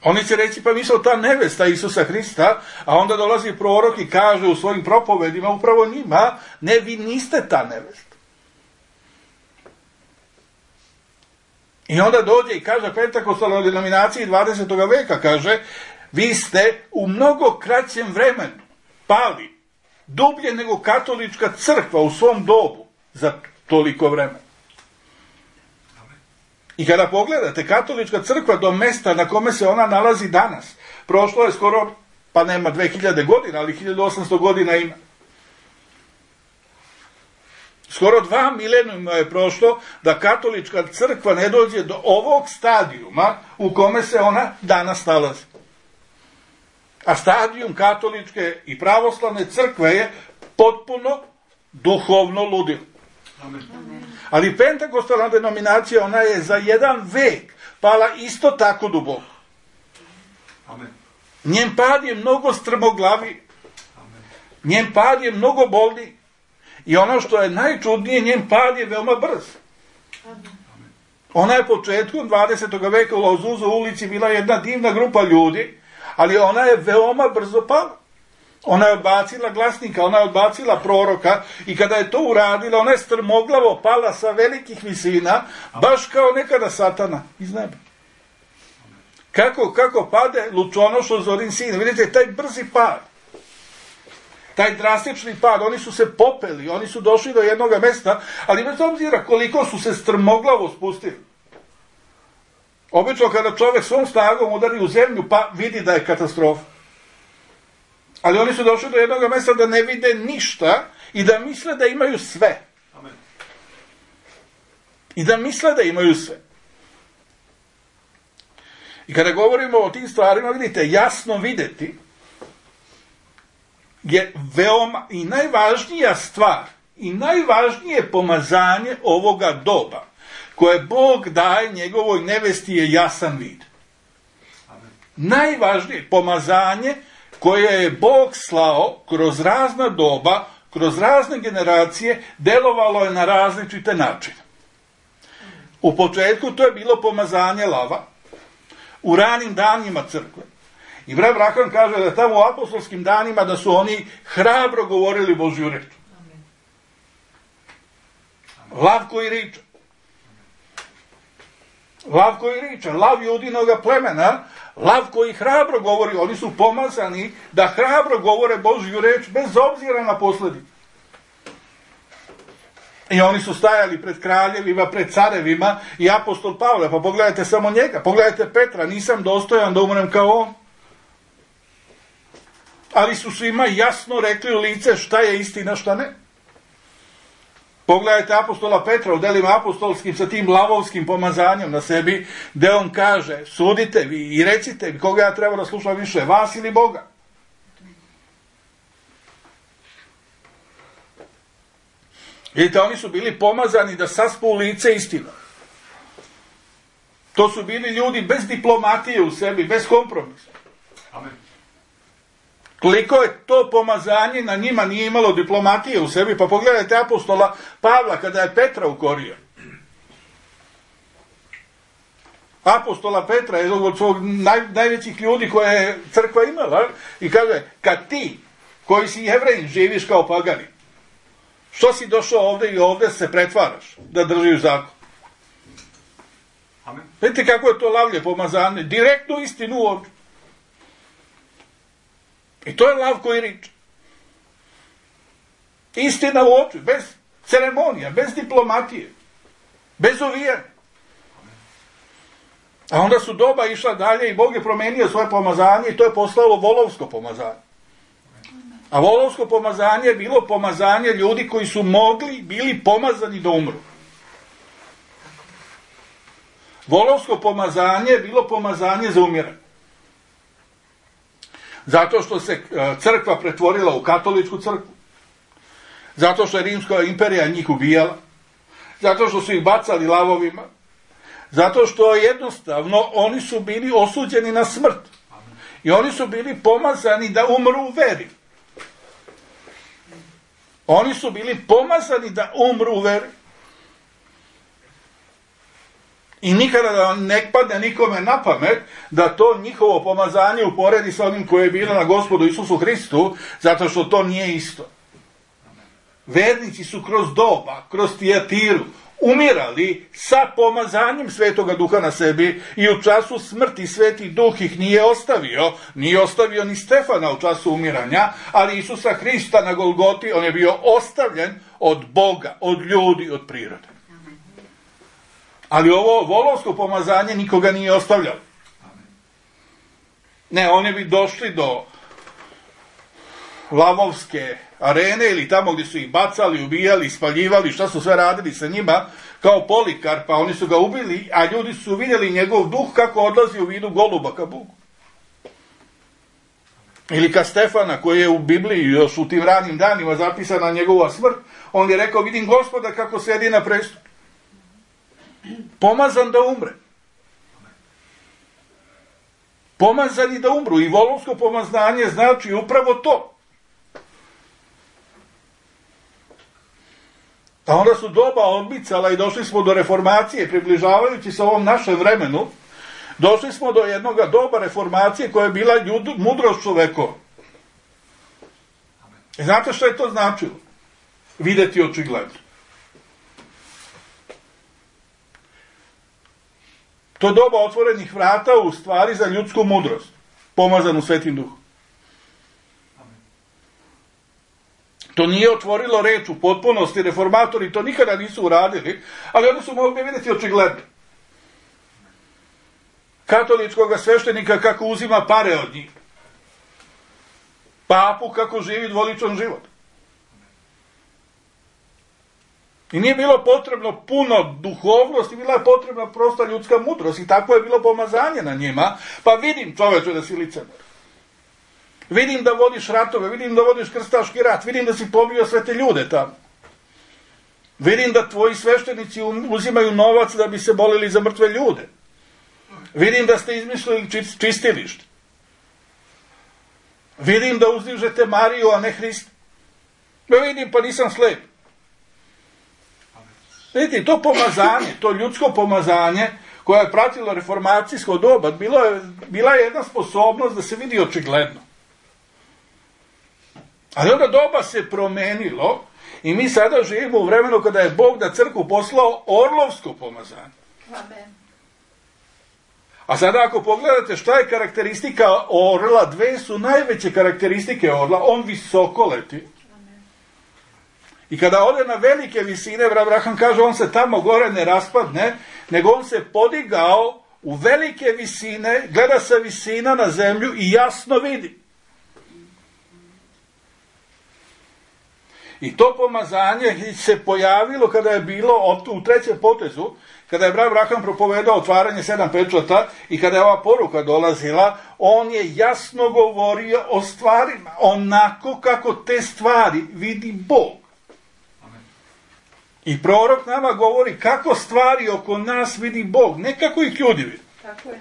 Oni će reći, pa mi smo ta nevesta Isusa Hrista, a onda dolazi prorok i kaže u svojim propovedima, upravo njima, ne, vi niste ta nevesta. I onda dođe i kaže pentakostalnoj denominaciji dvadesetog veka, kaže, vi ste u mnogo kraćem vremenu pali dublje nego katolička crkva u svom dobu za toliko vremena. I kada pogledate, katolička crkva do mesta na kome se ona nalazi danas, prošlo je skoro, pa nema dve hiljade godina, ali hiljadu osamsto godina ima. Skoro dva milenijuma je prošlo da katolička crkva ne dođe do ovog stadijuma u kome se ona danas nalazi. A stadijum katoličke i pravoslavne crkve je potpuno duhovno ludilo. Amen. Ali pentekostalna denominacija, ona je za jedan vek pala isto tako duboko. Amen. Njen pad je mnogo strmoglavi, Amen. njen pad je mnogo bolniji i ono što je najčudnije, njen pad je veoma brz. Ona je početkom dvadesetog veka u Lauzuzu ulici bila jedna divna grupa ljudi, ali ona je veoma brzo pala. Ona je odbacila glasnika, ona je odbacila proroka i kada je to uradila, ona je strmoglavo pala sa velikih visina, baš kao nekada Satana iz neba. Kako, kako pade lučonošo zorin sin. Vidite, taj brzi pad, taj drastični pad, oni su se popeli, oni su došli do jednog mesta, ali bez obzira koliko su se strmoglavo spustili. Obično kada čovjek svom snagom udari u zemlju, pa vidi da je katastrofa. Ali oni su došli do jednog mesta da ne vide ništa i da misle da imaju sve. Amen. I da misle da imaju sve. I kada govorimo o tim stvarima, vidite, jasno videti je veoma i najvažnija stvar i najvažnije pomazanje ovoga doba koje Bog daje njegovoj nevesti je jasan vid. Amen. Najvažnije pomazanje koje je Bog slao kroz razna doba, kroz razne generacije, delovalo je na različite načine. U početku to je bilo pomazanje lava, u ranim danima crkve. I brat Branham kaže da tamo u apostolskim danima da su oni hrabro govorili Božju reč. Lav koji riča. Lav koji riča, lav Judinoga plemena, lav koji hrabro govori, oni su pomazani da hrabro govore Božju reč bez obzira na posljedice. I oni su stajali pred kraljevima, pred carevima i apostol Pavle, pa pogledajte samo njega, pogledajte Petra, nisam dostojan da umrem kao on. Ali su svima jasno rekli u lice šta je istina, šta ne. Pogledajte apostola Petra u delima apostolskim sa tim lavovskim pomazanjem na sebi, gde on kaže, sudite vi i recite mi koga ja treba da slušam više, vas ili Boga. Vidite, oni su bili pomazani da saspu u lice istinu. To su bili ljudi bez diplomatije u sebi, bez kompromisa. Amen. Koliko je to pomazanje na njima nije imalo diplomatije u sebi, pa pogledajte apostola Pavla kada je Petra ukorio. Apostola Petra je jednog od svog naj, najvećih ljudi koje je crkva imala i kaže, kad ti koji si Jevrejin živiš kao pagani, što si došao ovdje i ovdje se pretvaraš da držiš zakon? Amen. Vidite kako je to lavlje pomazanje, direktnu istinu u oči. I to je lav koji riče. Istina u oči, bez ceremonija, bez diplomatije, bez uvijanja. A onda su doba išla dalje i Bog je promenio svoje pomazanje i to je postalo volovsko pomazanje. A volovsko pomazanje je bilo pomazanje ljudi koji su mogli, bili pomazani da umru. Volovsko pomazanje je bilo pomazanje za umiranje. Zato što se crkva pretvorila u katoličku crkvu. Zato što je Rimska imperija njih ubijala. Zato što su ih bacali lavovima. Zato što jednostavno oni su bili osuđeni na smrt. I oni su bili pomazani da umru u veri. Oni su bili pomazani da umru u veri. I nikada da ne padne nikome na pamet da to njihovo pomazanje uporedi sa onim koje je bilo na Gospodu Isusu Hristu, zato što to nije isto. Vernici su kroz doba, kroz Tijatiru, umirali sa pomazanjem Svetoga Duha na sebi i u času smrti Sveti Duh ih nije ostavio, nije ostavio ni Stefana u času umiranja, ali Isusa Hrista na Golgoti, on je bio ostavljen od Boga, od ljudi, od prirode. Ali ovo volovsko pomazanje nikoga nije ostavljalo. Ne, oni bi došli do lavovske arene ili tamo gdje su ih bacali, ubijali, spaljivali, šta su sve radili sa njima, kao Polikarpa, oni su ga ubili, a ljudi su vidjeli njegov duh kako odlazi u vidu goluba ka Bogu. Ili kad Stefana, koji je u Bibliji još u tim ranim danima zapisana njegova smrt, on je rekao, vidim Gospoda kako sedi na prestolu. Pomazan da umre. Pomazani da umru. I volovsko pomazanje znači upravo to. A onda su doba odmicala i došli smo do reformacije, približavajući se ovom našem vremenu, došli smo do jednog doba reformacije koja je bila ljud, mudrost čovekova. I znate što je to značilo? Videti očigledno. To je doba otvorenih vrata u stvari za ljudsku mudrost, pomazanu Svetim Duhom. To nije otvorilo reč u potpunosti, reformatori to nikada nisu uradili, ali oni su mogli vidjeti očigledno. Katoličkog sveštenika kako uzima pare od njih. Papu kako živi dvoličan život. I nije bilo potrebno puno duhovnosti, bila je potrebna prosta ljudska mudrost i tako je bilo pomazanje na njima. Pa vidim, čoveče, da si licemer. Vidim da vodiš ratove, vidim da vodiš krstaški rat, vidim da si pobio sve te ljude tamo. Vidim da tvoji sveštenici uzimaju novac da bi se molili za mrtve ljude. Vidim da ste izmislili čistilište. Vidim da uzdižete Mariju, a ne Hrista. Ja vidim, pa nisam slep. Vidite, to pomazanje, to ljudsko pomazanje koje je pratilo reformacijsko doba, bilo je, bila je jedna sposobnost da se vidi očigledno. Ali onda doba se promenilo i mi sada živimo u vremenu kada je Bog na crkvu poslao orlovsko pomazanje. Amen. A sada ako pogledate šta je karakteristika orla, dve su najveće karakteristike orla, on visoko leti. Amen. I kada ode na velike visine, Abraham kaže, on se tamo gore ne raspadne, nego on se podigao u velike visine, gleda sa visina na zemlju i jasno vidi. I to pomazanje se pojavilo kada je bilo u trećem potezu, kada je Abraham propovedao otvaranje sedam pečata i kada je ova poruka dolazila, on je jasno govorio o stvarima, onako kako te stvari vidi Bog. Amen. I prorok nama govori kako stvari oko nas vidi Bog, ne kako ih ljudi vidi. Tako je.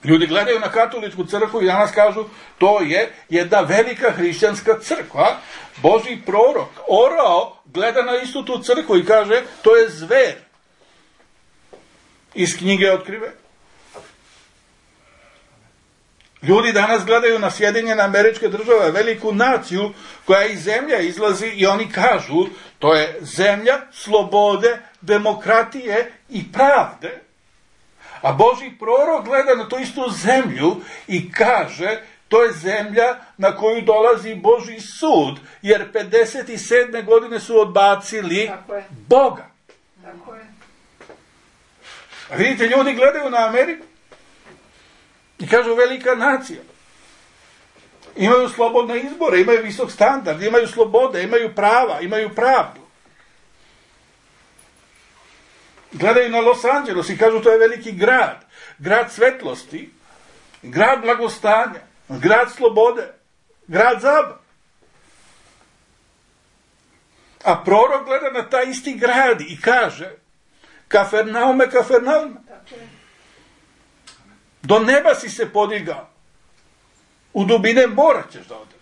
Ljudi gledaju na katoličku crkvu i danas kažu, to je jedna velika hrišćanska crkva. Božji prorok orao gleda na istu tu crkvu i kaže, to je zver. Iz knjige Otkrive. Ljudi danas gledaju na Sjedinjene Američke Države, veliku naciju koja iz zemlje izlazi i oni kažu, to je zemlja slobode, demokratije i pravde. A Božji prorok gleda na tu istu zemlju i kaže, to je zemlja na koju dolazi Božji sud, jer pedeset sedme godine su odbacili Boga. Tako je. A vidite, ljudi gledaju na Ameriku i kažu, velika nacija. Imaju slobodne izbore, imaju visok standard, imaju slobode, imaju prava, imaju pravdu. Gledaju na Los Angeles i kažu, to je veliki grad, grad svetlosti, grad blagostanja, grad slobode, grad zabave. A prorok gleda na taj isti grad i kaže, Kafernaume, Kafernaume, do neba si se podigao, u dubine mora ćeš da odeš.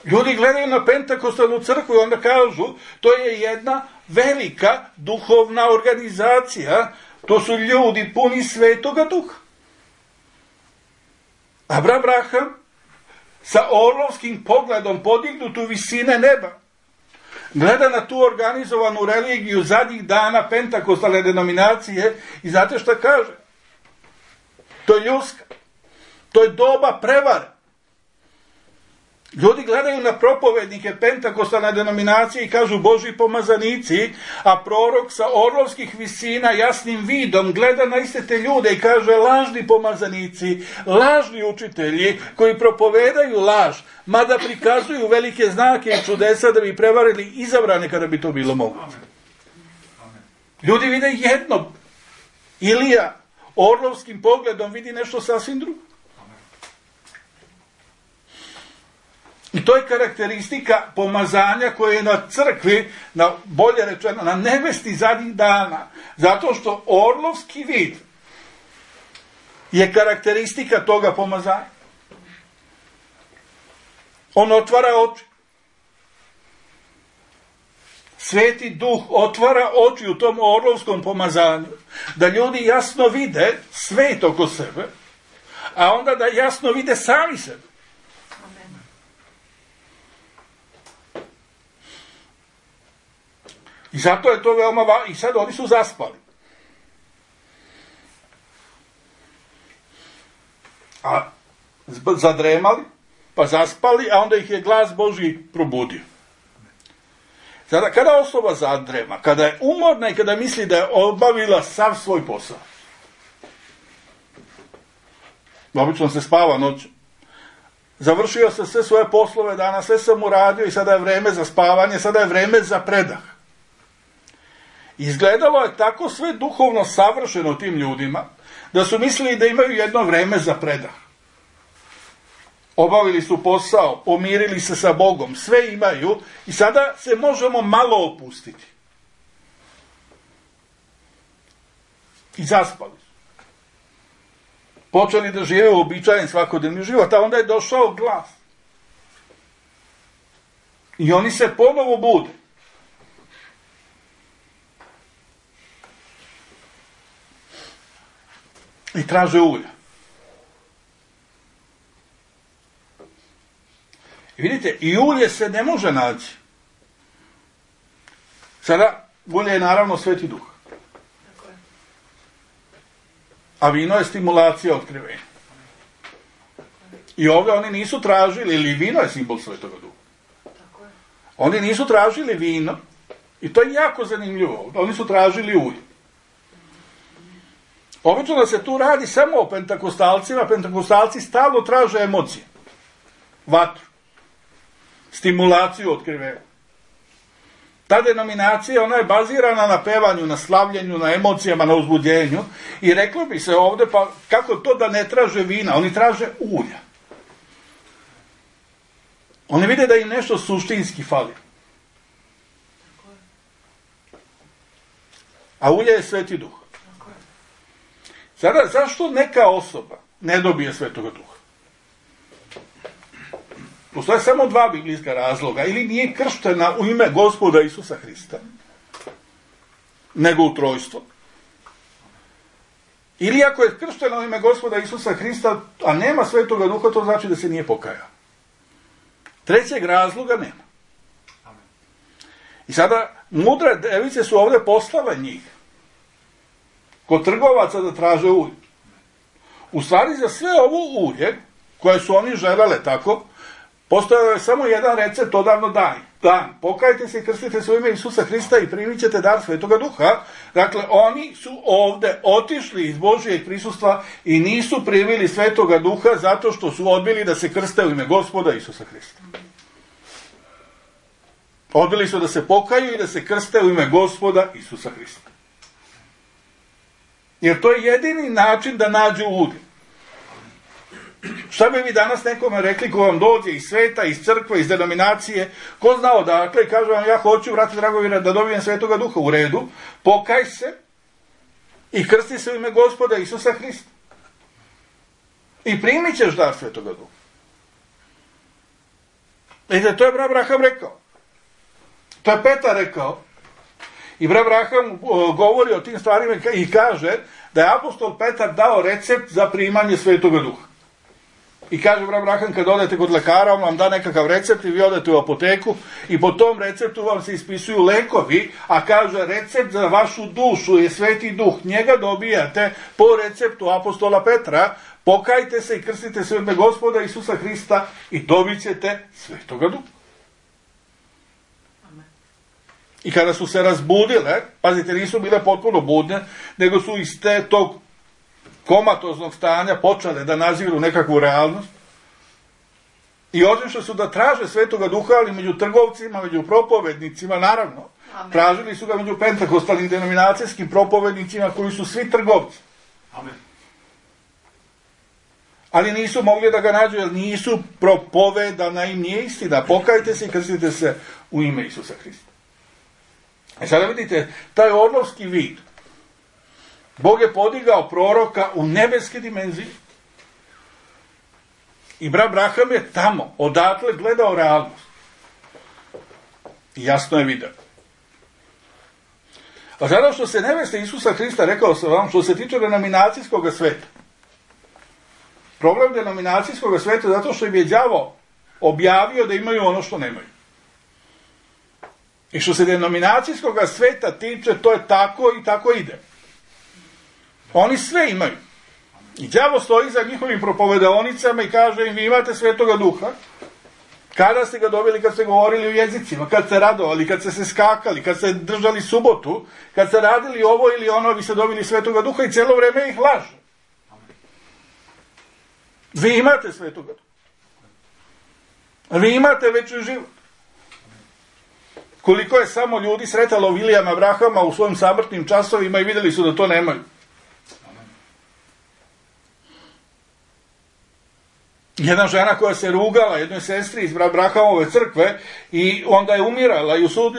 Ljudi gledaju na Pentakostalnu crkvu i onda kažu, to je jedna velika duhovna organizacija, to su ljudi puni Svetoga Duha. Abraham sa orlovskim pogledom podignut u visine neba gleda na tu organizovanu religiju zadnjih dana Pentakostalne denominacije i znate šta kaže? To je ljudska. To je doba prevare. Ljudi gledaju na propovednike Pentakostalne denominacije i kažu Božji pomazanici, a prorok sa orlovskih visina jasnim vidom gleda na iste te ljude i kaže lažni pomazanici, lažni učitelji koji propovedaju laž, mada prikazuju velike znake i čudesa da bi prevarili izabrane kada bi to bilo moguće. Ljudi vide jedno, Ilija, orlovskim pogledom vidi nešto sasvim drugo. I to je karakteristika pomazanja koje je na crkvi, na, bolje rečeno, na nevesti zadnjih dana. Zato što orlovski vid je karakteristika toga pomazanja. On otvara oči. Sveti Duh otvara oči u tom orlovskom pomazanju, da ljudi jasno vide svet oko sebe, a onda da jasno vide sami sebe. Amen. I zato je to veoma važno. I sad oni su zaspali. A zadremali, pa zaspali, a onda ih je glas Božji probudio. Sada, kada osoba zadrema, kada je umorna i kada misli da je obavila sav svoj posao, obično se spava noću, završio se sve svoje poslove danas, sve sam uradio i sada je vreme za spavanje, sada je vreme za predah. Izgledalo je tako sve duhovno savršeno tim ljudima, da su mislili da imaju jedno vreme za predah. Obavili su posao, pomirili se sa Bogom, sve imaju i sada se možemo malo opustiti. I zaspali su. Počeli da žive uobičajen svakodnevni život, a onda je došao glas. I oni se ponovo bude. I traže ulja. I vidite, i ulje se ne može naći. Sada, ulje je naravno Sveti Duh. Tako je. A vino je stimulacija otkrivenja. I ovdje oni nisu tražili, ili vino je simbol Svetoga Duha. Tako je. Oni nisu tražili vino, i to je jako zanimljivo. Oni su tražili ulje. Obično da se tu radi samo o pentakostalcima, pentakostalci stalno traže emocije. Vatru. Stimulaciju otkrivenja. Ta denominacija, ona je bazirana na pevanju, na slavljenju, na emocijama, na uzbuđenju. I reklo bi se ovdje, pa kako to da ne traže vina? Oni traže ulja. Oni vide da im nešto suštinski fali. A ulje je Sveti Duh. Sada, zašto neka osoba ne dobije Svetoga Duha? Postoje samo dva biblijska razloga. Ili nije krštena u ime Gospoda Isusa Hrista, nego u trojstvo. Ili ako je krštena u ime Gospoda Isusa Hrista, a nema Svetoga Duha, to znači da se nije pokajao. Trećeg razloga nema. I sada, mudre device su ovdje poslale njih kod trgovaca da traže ulje. U stvari za sve ovo ulje, koje su oni želele tako, postojao je samo jedan recept odavno dan. Dan. Pokajte se i krstite se u ime Isusa Hrista i primit ćete dar Svetoga Duha. Dakle, oni su ovdje otišli iz Božijeg prisustva i nisu primili Svetoga Duha zato što su odbili da se krste u ime Gospoda Isusa Hrista. Odbili su da se pokaju i da se krste u ime Gospoda Isusa Hrista. Jer to je jedini način da nađu ulje. Šta bi vi danas nekome rekli ko vam dođe iz sveta, iz crkve, iz denominacije, ko zna odakle i kaže vam ja hoću, vrati dragovi, da dobijem Svetoga Duha, u redu, pokaj se i krsti se u ime Gospoda Isusa Hrista. I primit ćeš dar Svetoga Duha. Vidite, to je brat Abraham rekao. To je Petar rekao. I brat Abraham govori o tim stvarima i kaže da je apostol Petar dao recept za primanje Svetoga Duha. I kaže brat Abraham, kad odete kod lekara, on vam da nekakav recept i vi odete u apoteku i po tom receptu vam se ispisuju lekovi, a kaže recept za vašu dušu je Sveti Duh. Njega dobijate po receptu apostola Petra. Pokajte se i krstite se u ime Gospoda Isusa Hrista i dobit ćete Svetoga Duha. I kada su se razbudile, pazite, nisu bile potpuno budne, nego su iz te tog komatoznog stanja počele da naziru nekakvu realnost. I otišli su da traže Svetoga Duha, ali među trgovcima, među propovednicima, naravno. Amen. Tražili su ga među pentakostalnim denominacijskim propovednicima koji su svi trgovci. Amen. Ali nisu mogli da ga nađu, jer nisu propovedana im nije istina. Pokajte se i krstite se u ime Isusa Hrista. E sada vidite, taj orlovski vid. Bog je podigao proroka u nebeske dimenzije. I brat Abraham je tamo, odatle gledao realnost. I jasno je vidio. A sada što se neveste Isusa Hrista, rekao sam vam, što se tiče denominacijskog sveta. Problem denominacijskog sveta zato što im je đavo objavio da imaju ono što nemaju. I što se denominacijskog sveta tiče, to je tako i tako ide. Oni sve imaju. I đavo stoji za njihovim propovedaonicama i kaže im, vi imate Svetoga Duha. Kada ste ga dobili, kad ste govorili u jezicima, kad ste radovali, kad ste se skakali, kad ste držali subotu, kad ste radili ovo ili ono, vi ste dobili Svetoga Duha i cijelo vreme ih laže. Vi imate Svetoga Duha. Vi imate večni život. Koliko je samo ljudi sretalo Vilijama Abrahama u svojim samrtnim časovima i vidjeli su da to nemaju. Jedna žena koja se rugala jednoj sestri iz Abrahamove crkve i onda je umirala i u, sud,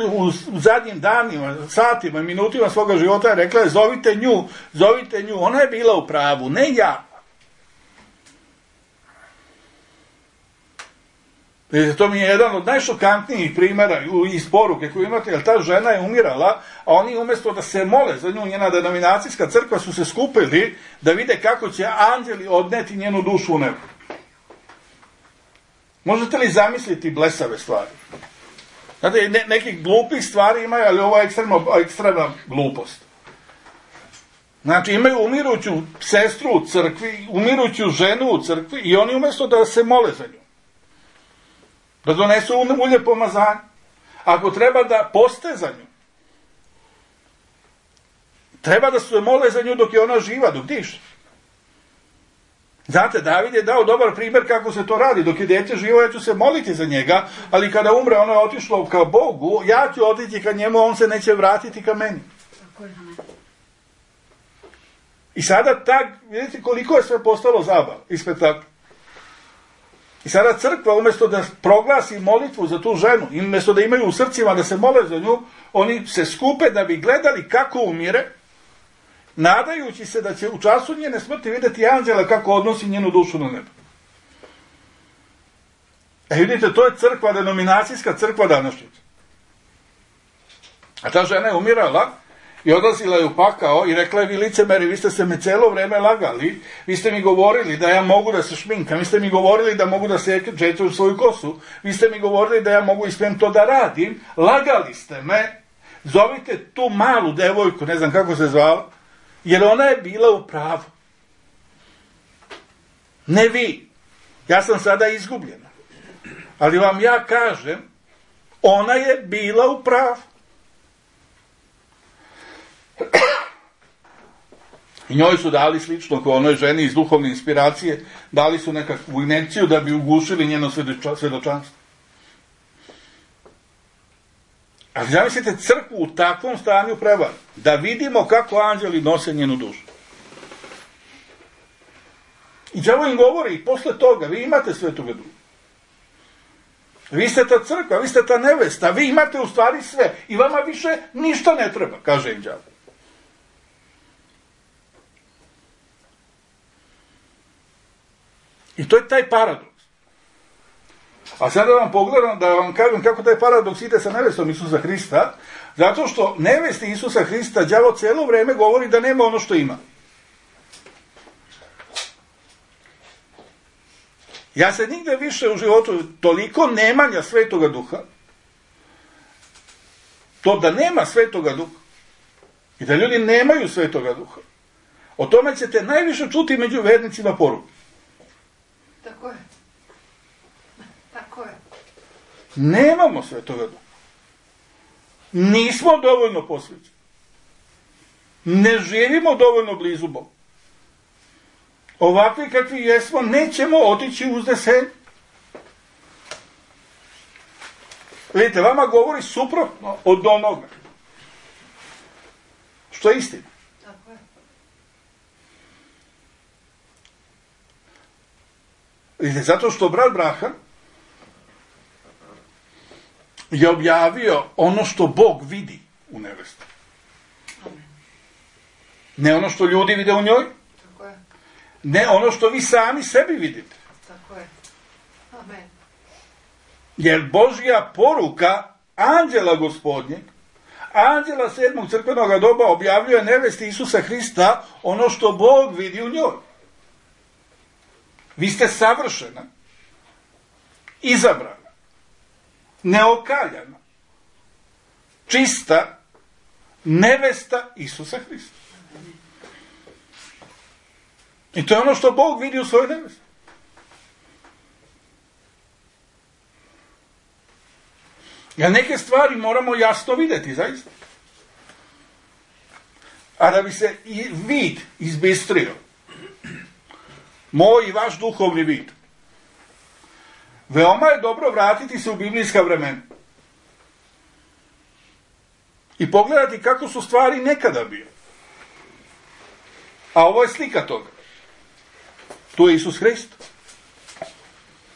u zadnjim danima, satima, minutima svoga života je rekla je, zovite nju, zovite nju, ona je bila u pravu, ne ja. Vidite, to mi je jedan od najšokantnijih primjera iz poruke koju imate, jer ta žena je umirala, a oni umjesto da se mole za nju, njena denominacijska crkva, su se skupili da vide kako će anđeli odneti njenu dušu u nebo. Možete li zamisliti blesave stvari? Znate, ne, nekih glupih stvari imaju, ali ovo je ekstremno, ekstremna glupost. Znači, imaju umiruću sestru u crkvi, umiruću ženu u crkvi i oni umjesto da se mole za nju, da donesu ulje pomazanja, ako treba da poste za nju, treba da se mole za nju dok je ona živa, dok diše. Znate, David je dao dobar primjer kako se to radi. Dok je dete živo, ja ću se moliti za njega, ali kada umre, ono je otišlo ka Bogu, ja ću otići ka njemu, on se neće vratiti ka meni. I sada tak, vidite koliko je sve postalo zabav i spektakl. I sada crkva, umjesto da proglasi molitvu za tu ženu, i umjesto da imaju u srcima da se mole za nju, oni se skupe da bi gledali kako umire, nadajući se da će u času njene smrti vidjeti anđela kako odnosi njenu dušu na nebo. E vidite, to je crkva, denominacijska crkva današnjica. A ta žena je umirala i odlazila je u pakao i rekla je, vi licemeri, vi ste se me cijelo vreme lagali, vi ste mi govorili da ja mogu da se šminkam, vi ste mi govorili da mogu da se čečem svoju kosu, vi ste mi govorili da ja mogu i smijem to da radim, lagali ste me, zovite tu malu devojku, ne znam kako se zvala, jer ona je bila u pravu. Ne vi. Ja sam sada izgubljena. Ali vam ja kažem, ona je bila u pravu. I njoj su dali slično kao onoj ženi iz duhovne inspiracije, dali su nekakvu injekciju da bi ugušili njeno svjedočanstvo. Ali zamislite crkvu u takvom stanju prevari, da vidimo kako anđeli nose njenu dušu. I đavo im govori, posle toga, vi imate Svetoga Duha. Vi ste ta crkva, vi ste ta nevesta, vi imate u stvari sve i vama više ništa ne treba, kaže im đavo. I to je taj paradoks. A sada vam pogledam, da vam kažem kako taj paradoks ide sa nevestom Isusa Hrista, zato što nevesti Isusa Hrista đavo cijelo vrijeme govori da nema ono što ima. Ja se nigde više u životu toliko nemanja Svetoga Duha, to da nema Svetoga Duha i da ljudi nemaju Svetoga Duha, o tome ćete najviše čuti među vernicima poruke. Tako je. Tako je. Nemamo Svetoga Duha. Nismo dovoljno posvećeni. Ne živimo dovoljno blizu Boga. Ovakvi kakvi jesmo, nećemo otići u uznesenje. Vidite, vama govori suprotno od onoga što je istina. Tako je. Vidite, zato što brat Braham je objavio ono što Bog vidi u nevesti. Ne ono što ljudi vide u njoj, Tako je. ne ono što vi sami sebi vidite. Tako je. Amen. Jer Božja poruka anđela Gospodnjeg, anđela sedmog crkvenog doba objavljuje nevesti Isusa Hrista ono što Bog vidi u njoj. Vi ste savršena, izabrana, neokaljana, čista nevesta Isusa Hrista. I to je ono što Bog vidi u svojoj nevesti. Ja neke stvari moramo jasno vidjeti, zaista. A da bi se i vid izbistrio, moj i vaš duhovni vid, veoma je dobro vratiti se u biblijska vremena i pogledati kako su stvari nekada bile. A ovo je slika toga. Tu je Isus Hrist.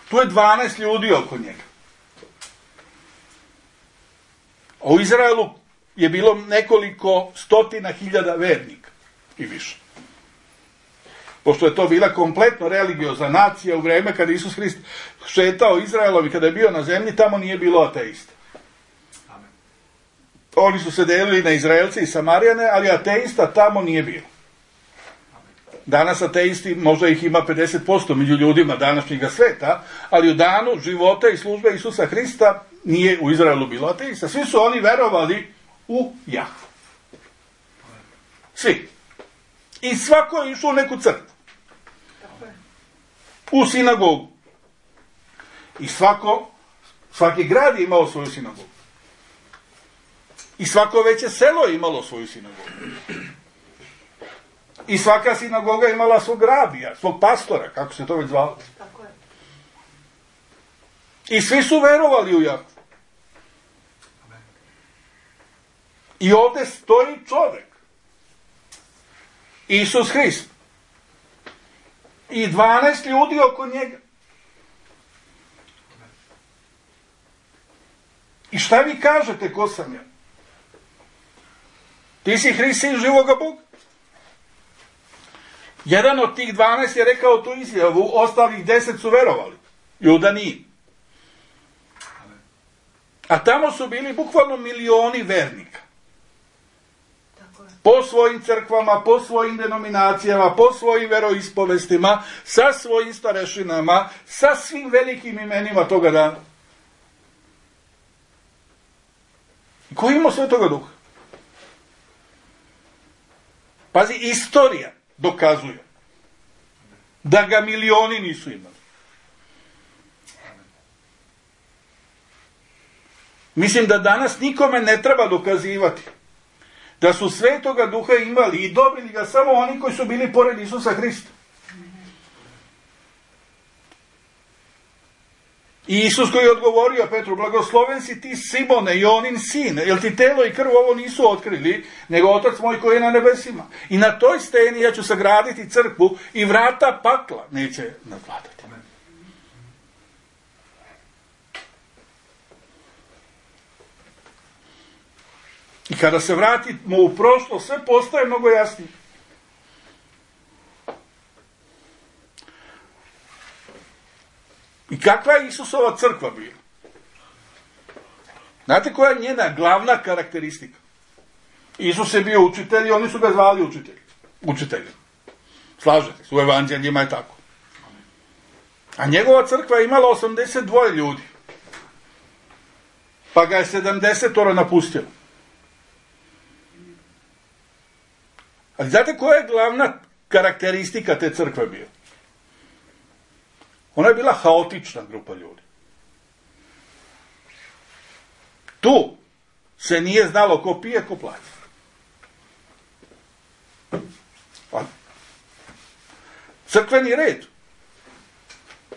Tu je dvanaest ljudi oko njega. A u Izraelu je bilo nekoliko stotina hiljada vernika i više. Pošto je to bila kompletno religiozna nacija u vrijeme kada Isus Hrist šetao Izraelom i kada je bio na zemlji, tamo nije bilo ateista. Amen. Oni su se delili na Izraelce i Samarijane, ali ateista tamo nije bilo. Danas ateisti, možda ih ima pedeset posto među ljudima današnjega sveta, ali u danu života i službe Isusa Hrista nije u Izraelu bilo ateista. Svi su oni verovali u Jahvu. Svi. I svako je išao u neku crkvu. U sinagogu. I svako, svaki grad je imao svoju sinagogu. I svako veće selo je imalo svoju sinagogu. I svaka sinagoga je imala svog rabija, svog pastora, kako se to već zvalo. Tako je. I svi su verovali u Jahvu. I ovdje stoji čovjek, Isus Hrist, i dvanaest ljudi oko njega. I šta vi kažete, ko sam ja? Ti si Hrist, sin živoga Boga. Jedan od tih dvanaest je rekao tu izjavu, ostalih deset su verovali. Juda nije. A tamo su bili bukvalno milioni vernika. Tako je. Po svojim crkvama, po svojim denominacijama, po svojim veroispovestima, sa svojim starešinama, sa svim velikim imenima toga dana. Ko ima sve toga duha? Pazi, istorija dokazuje da ga milioni nisu imali. Mislim da danas nikome ne treba dokazivati da su Svetoga Duha imali i dobili ga samo oni koji su bili pored Isusa Hrista. I Isus koji je odgovorio Petru, blagosloven si ti Simone, Jonin sin, jer ti telo i krv ovo nisu otkrili, nego Otac moj koji je na nebesima. I na toj steni ja ću sagraditi crkvu i vrata pakla neće nadvladati. I kada se vratimo u prošlo, sve postaje mnogo jasnije. I kakva je Isusova crkva bila? Znate koja je njena glavna karakteristika? Isus je bio učitelj i oni su ga zvali učitelj. Učiteljem. Slažete se, u evanđeljima je tako. A njegova crkva je imala osamdeset dva ljudi. Pa ga je sedamdeset napustilo. Ali znate koja je glavna karakteristika te crkve bila? Ona je bila haotična grupa ljudi. Tu se nije znalo ko pije, ko plaća. Pa, crkveni red.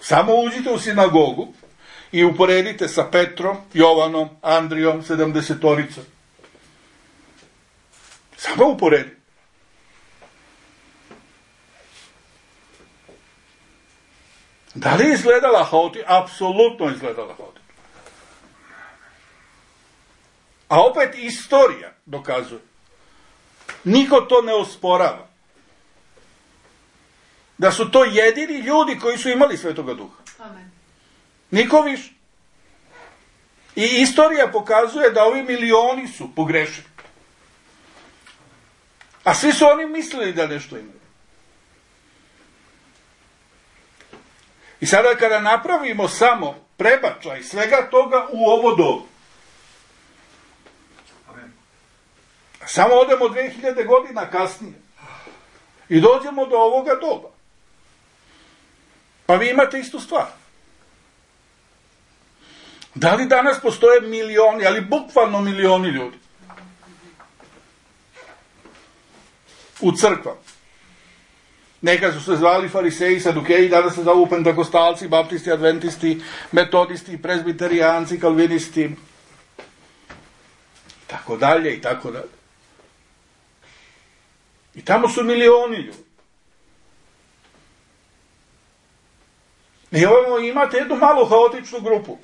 Samo uđite u sinagogu i uporedite sa Petrom, Jovanom, Andrijom, sedamdesetoricom. Samo uporedite. Da li je izgledala haotično? Apsolutno izgledala haotično. A opet istorija dokazuje. Niko to ne osporava. Da su to jedini ljudi koji su imali Svetoga Duha. Amen. Niko više. I istorija pokazuje da ovi milioni su pogrešili. A svi su oni mislili da nešto imaju. I sada kada napravimo samo prebačaj svega toga u ovo dobu, samo odemo dve hiljade godina kasnije i dođemo do ovoga doba, pa vi imate istu stvar. Da li danas postoje milioni, ali bukvalno milioni ljudi u crkvama? Nekad su se zvali fariseji, sadukeji, danas se zovu pentakostalci, baptisti, adventisti, metodisti, prezbiterijanci, kalvinisti, tako dalje i tako dalje. I tamo su milioni ljudi. I ovo imate jednu malu haotičnu grupu.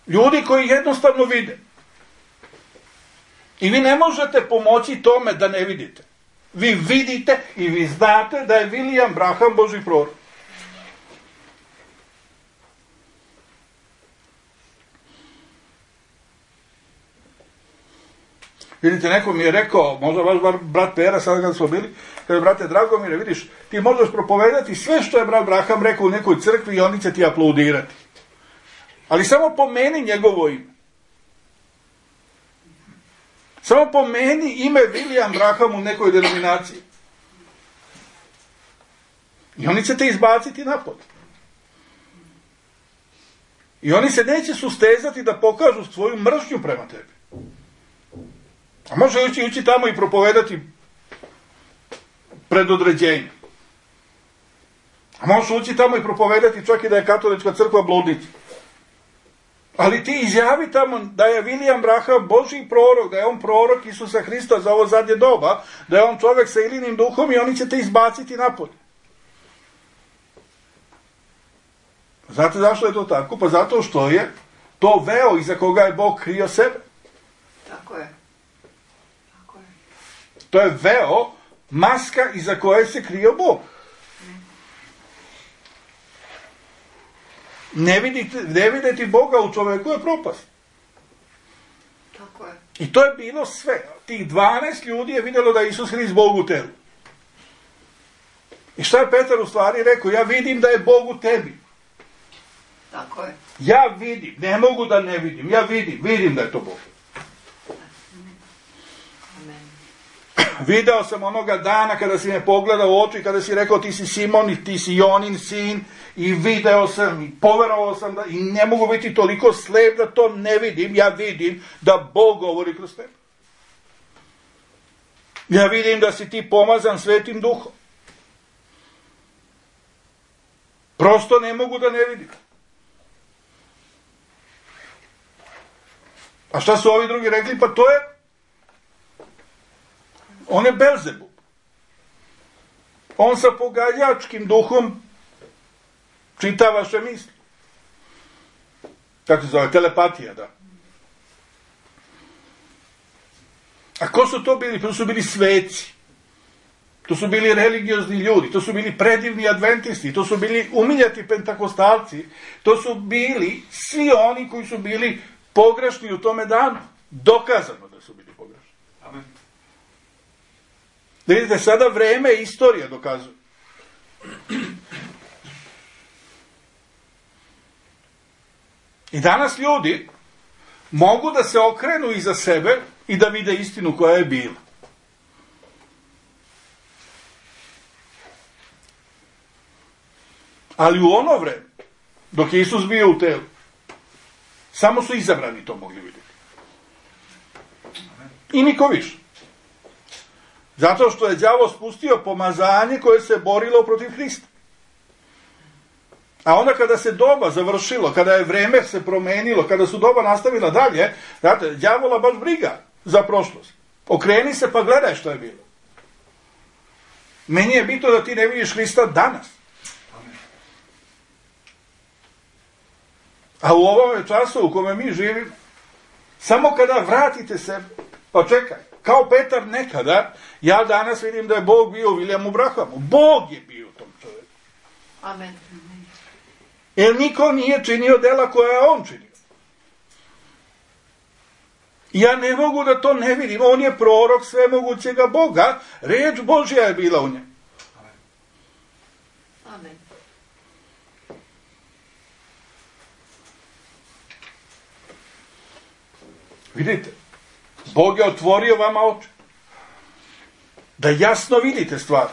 Ljudi koji jednostavno vide. I vi ne možete pomoći tome da ne vidite. Vi vidite i vi znate da je William Branham Božji prorok. Vidite, neko mi je rekao, možda vaš brat Pera, sada kad smo bili, kada brate Dragomire, vidiš, ti možeš propovedati sve što je brat Branham rekao u nekoj crkvi i oni će ti aplaudirati. Ali samo pomeni njegovo ime. Samo pomeni ime William Branham u nekoj denominaciji. I oni će te izbaciti napolje. I oni se neće sustezati da pokažu svoju mržnju prema tebi. A može ući, ući tamo i propovedati predodređenje. A može ući tamo i propovedati čak i da je katolička crkva bludnica. Ali ti izjavi tamo da je William Branham Božji prorok, da je on prorok Isusa Hrista za ovo zadnje doba, da je on čovjek sa ilinim duhom i oni će te izbaciti napolje. Znate zašto je to tako? Pa zato što je to veo iza koga je Bog krio sebe. Tako je. Tako je. To je veo, maska iza koje se krio Bog. Ne vidite, ne videti Boga u čovjeku je propast. Tako je. I to je bilo sve. Tih dvanaest ljudi je vidjelo da je Isus Hrist Bog u telu. I šta je Petar u stvari rekao? Ja vidim da je Bog u tebi. Tako je. Ja vidim, ne mogu da ne vidim. Ja vidim, vidim da je to Bog. Amen. Video sam onoga dana kada si me pogledao u oči, kada si rekao ti si Simon i ti si Jonin sin, i video sam i poverovao sam da, i ne mogu biti toliko slep da to ne vidim. Ja vidim da Bog govori kroz tebe. Ja vidim da si ti pomazan Svetim Duhom. Prosto ne mogu da ne vidim. A šta su ovi drugi rekli? Pa to je on je Belzebub. On sa pogađačkim duhom čita vaše misli. Kako se zove? Telepatija, da. A ko su to bili? To su bili sveci. To su bili religiozni ljudi. To su bili predivni adventisti. To su bili umiljati pentakostalci. To su bili svi oni koji su bili pogrešni u tome danu. Dokazano da su bili pogrešni. Amen. Da vidite, sada vreme i istorija dokazuje. I danas ljudi mogu da se okrenu iza sebe i da vide istinu koja je bila. Ali u ono vreme, dok je Isus bio u telu, samo su izabrani to mogli vidjeti. I niko više. Zato što je đavo spustio pomazanje koje se borilo protiv Hrista. A onda kada se doba završilo, kada je vreme se promenilo, kada su doba nastavila dalje, znate, đavola baš briga za prošlost. Okreni se pa gledaj što je bilo. Meni je bitno da ti ne vidiš Hrista danas. Amen. A u ovome času u kome mi živimo, samo kada vratite sebe, pa čekaj, kao Petar nekada, ja danas vidim da je Bog bio u Williamu Brahamu. Bog je bio u tom čovjeku. Amen. Jer niko nije činio dela koja je on činio. Ja ne mogu da to ne vidim. On je prorok svemogućega Boga. Riječ Božja je bila u njemu. Amen. Vidite, Bog je otvorio vama oči. Da jasno vidite stvari.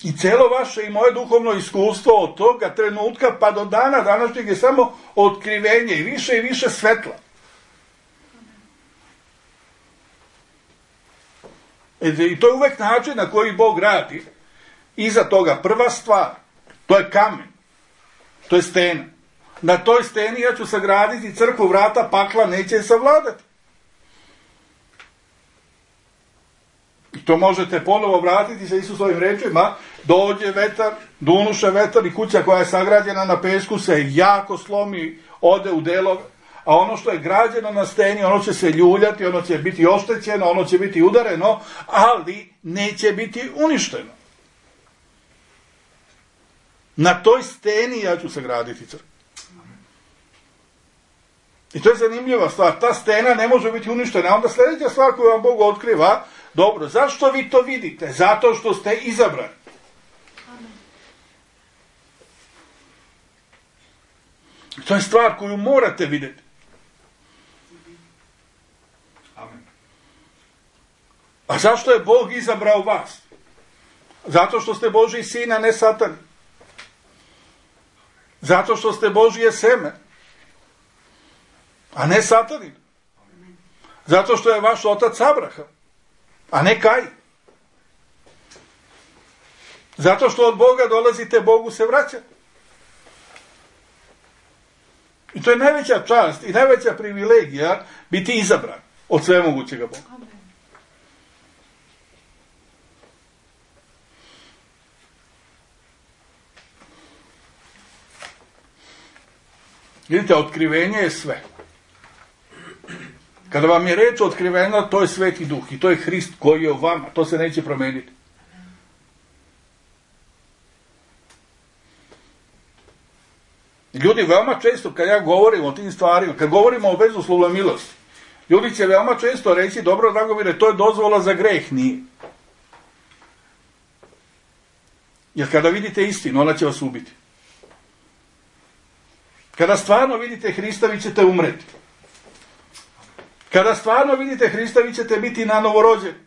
I celo vaše i moje duhovno iskustvo od toga trenutka pa do dana današnjeg je samo otkrivenje i više i više svetla. I to je uvek način na koji Bog radi. Iza toga prva stvar, to je kamen, to je stena. Na toj steni ja ću sagraditi crkvu, vrata pakla neće je savladati. I to možete ponovo vratiti sa Isusovim rečima, dođe vetar, dunuše vetar i kuća koja je sagrađena na pesku se jako slomi, ode u delove, a ono što je građeno na steni, ono će se ljuljati, ono će biti oštećeno, ono će biti udareno, ali neće biti uništeno. Na toj steni ja ću sagraditi crkvu. I to je zanimljiva stvar. Ta stena ne može biti uništena. Onda sljedeća stvar koju vam Bog otkriva, dobro, zašto vi to vidite? Zato što ste izabrani. Amen. To je stvar koju morate vidjeti. Amen. A zašto je Bog izabrao vas? Zato što ste Božji sin, a ne Satan. Zato što ste Božje seme, a ne Satanin. Zato što je vaš otac Abraham, a ne Kain. Zato što od Boga dolazite, Bogu se vraća. I to je najveća čast i najveća privilegija biti izabran od svemogućega Boga. Amen. Vidite, otkrivenje je sve. Kada vam je reč otkriveno, to je Sveti Duh i to je Hrist koji je u vama. To se neće promeniti. Ljudi veoma često, kad ja govorim o tim stvarima, kad govorimo o bezuslovnoj milosti, ljudi će veoma često reći, dobro, Dragomire, to je dozvola za greh. Nije. Jer kada vidite istinu, ona će vas ubiti. Kada stvarno vidite Hrista, vi ćete umreti. Kada stvarno vidite Hrista, vi ćete biti na novorođeni.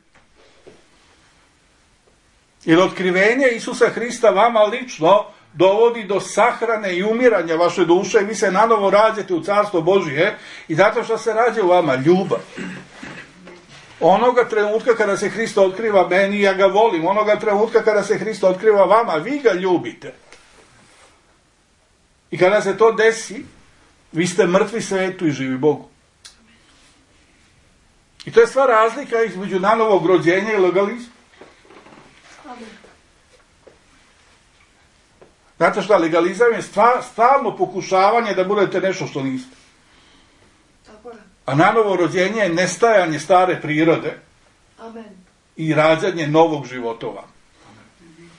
Jer otkrivenje Isusa Hrista vama lično dovodi do sahrane i umiranja vaše duše i vi se nanovo rađate u Carstvo Božije i zato što se rađa u vama ljubav. Onoga trenutka kada se Hrista otkriva meni, ja ga volim. Onoga trenutka kada se Hrista otkriva vama, vi ga ljubite. I kada se to desi, vi ste mrtvi svetu i živi Bogu. I to je sva razlika između nanovog rođenja i legalizma. Znate šta, legalizam je stva, stalno pokušavanje da budete nešto što niste. Tako je. A nanovo rođenje je nestajanje stare prirode. Amen. I rađanje novog života u vama.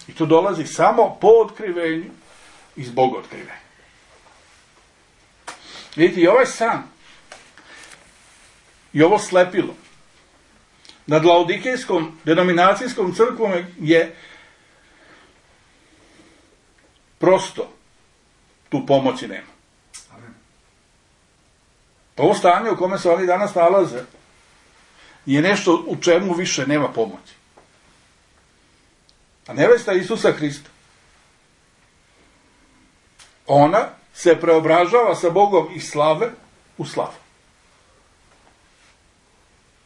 I to dolazi samo po otkrivenju i zbog otkrivenja. Vidite, i ovaj san i ovo slepilo nad Laodikejskom denominacijskom crkvom je prosto, tu pomoći nema. Amen. Ovo stanje u kome se oni danas nalaze je nešto u čemu više nema pomoći. A nevesta Isusa Hrista, ona se preobražava sa Bogom iz slave u slavu.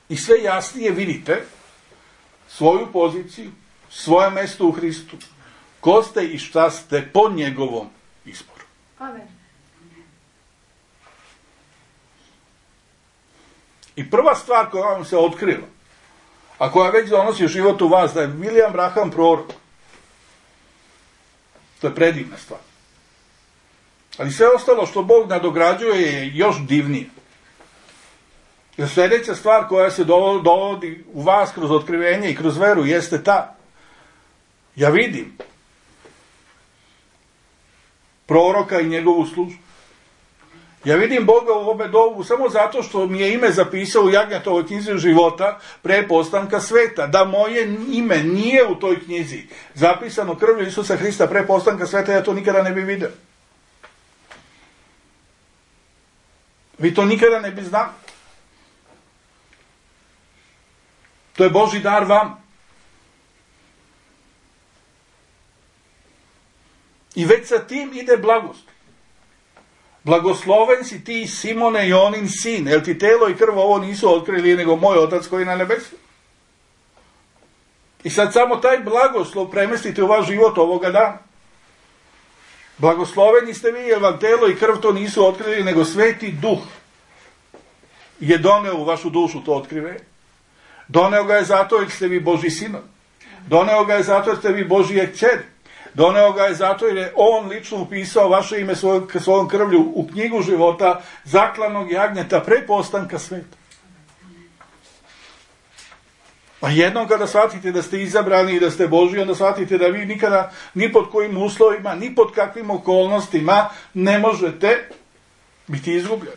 I sve jasnije vidite svoju poziciju, svoje mesto u Hristu, ko ste i šta ste po njegovom izboru. Amen. I prva stvar koja vam se otkrila, a koja već donosi život u vas, da je William Branham prorok. To je predivna stvar. Ali sve ostalo što Bog nadograđuje je još divnije. Jer sljedeća stvar koja se dovodi u vas kroz otkrivenje i kroz veru jeste ta. Ja vidim proroka i njegovu službu. Ja vidim Boga u ome dobu samo zato što mi je ime zapisao u Jagnjetovoj knjizi života pre postanka sveta. Da moje ime nije u toj knjizi zapisano krvlju Isusa Hrista pre postanka sveta, ja to nikada ne bi vidio. Vi to nikada ne bi znali. To je Božji dar vam. I već sa tim ide blagost. Blagosloven si ti, Simone, Jonin sin, jer ti telo i krv ovo nisu otkrili, nego moj Otac koji je na nebesu. I sad samo taj blagoslov premestite u vaš život ovoga dana. Blagosloveni ste vi, jer vam telo i krv to nisu otkrili, nego Sveti Duh je doneo u vašu dušu to otkrive. Doneo ga je zato jer ste vi Božji sinovi. Doneo ga je zato jer ste vi Božje kćeri. Doneo ga je zato jer je on lično upisao vaše ime svojom, svojom krvlju u knjigu života zaklanog jagnjeta pre postanka sveta. A jednom kada shvatite da ste izabrani i da ste Božji, onda shvatite da vi nikada, ni pod kojim uslovima, ni pod kakvim okolnostima ne možete biti izgubljeni.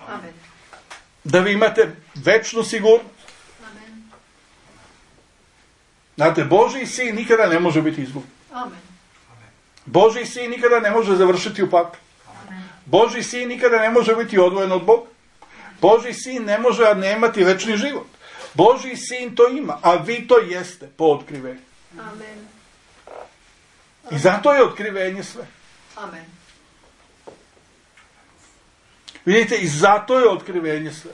Amen. Da vi imate večnu sigurnost. Amen. Znate, Božji sin nikada ne može biti izgubljen. Amen. Božji sin nikada ne može završiti u paklu. Božji sin nikada ne može biti odvojen od Boga. Božji sin ne može nemati večni život. Božji sin to ima, a vi to jeste po otkrivenju. Amen. I zato je otkrivenje sve. Amen. Vidite, i zato je otkrivenje sve.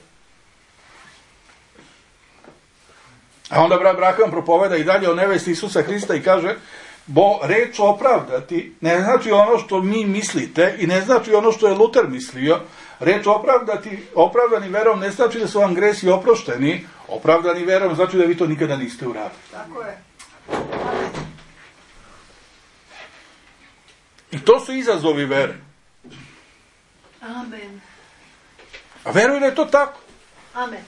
A onda brat Branham propoveda i dalje o nevesti Isusa Hrista i kaže, bo reč opravdati ne znači ono što mi mislite i ne znači ono što je Luter mislio. Reč opravdati, opravdani verom ne znači da su vam gresi oprošteni. Opravdani verom znači da vi to nikada niste uradili. Tako je. I to su izazovi vere. Amen. A veruj da je to tako. Amen.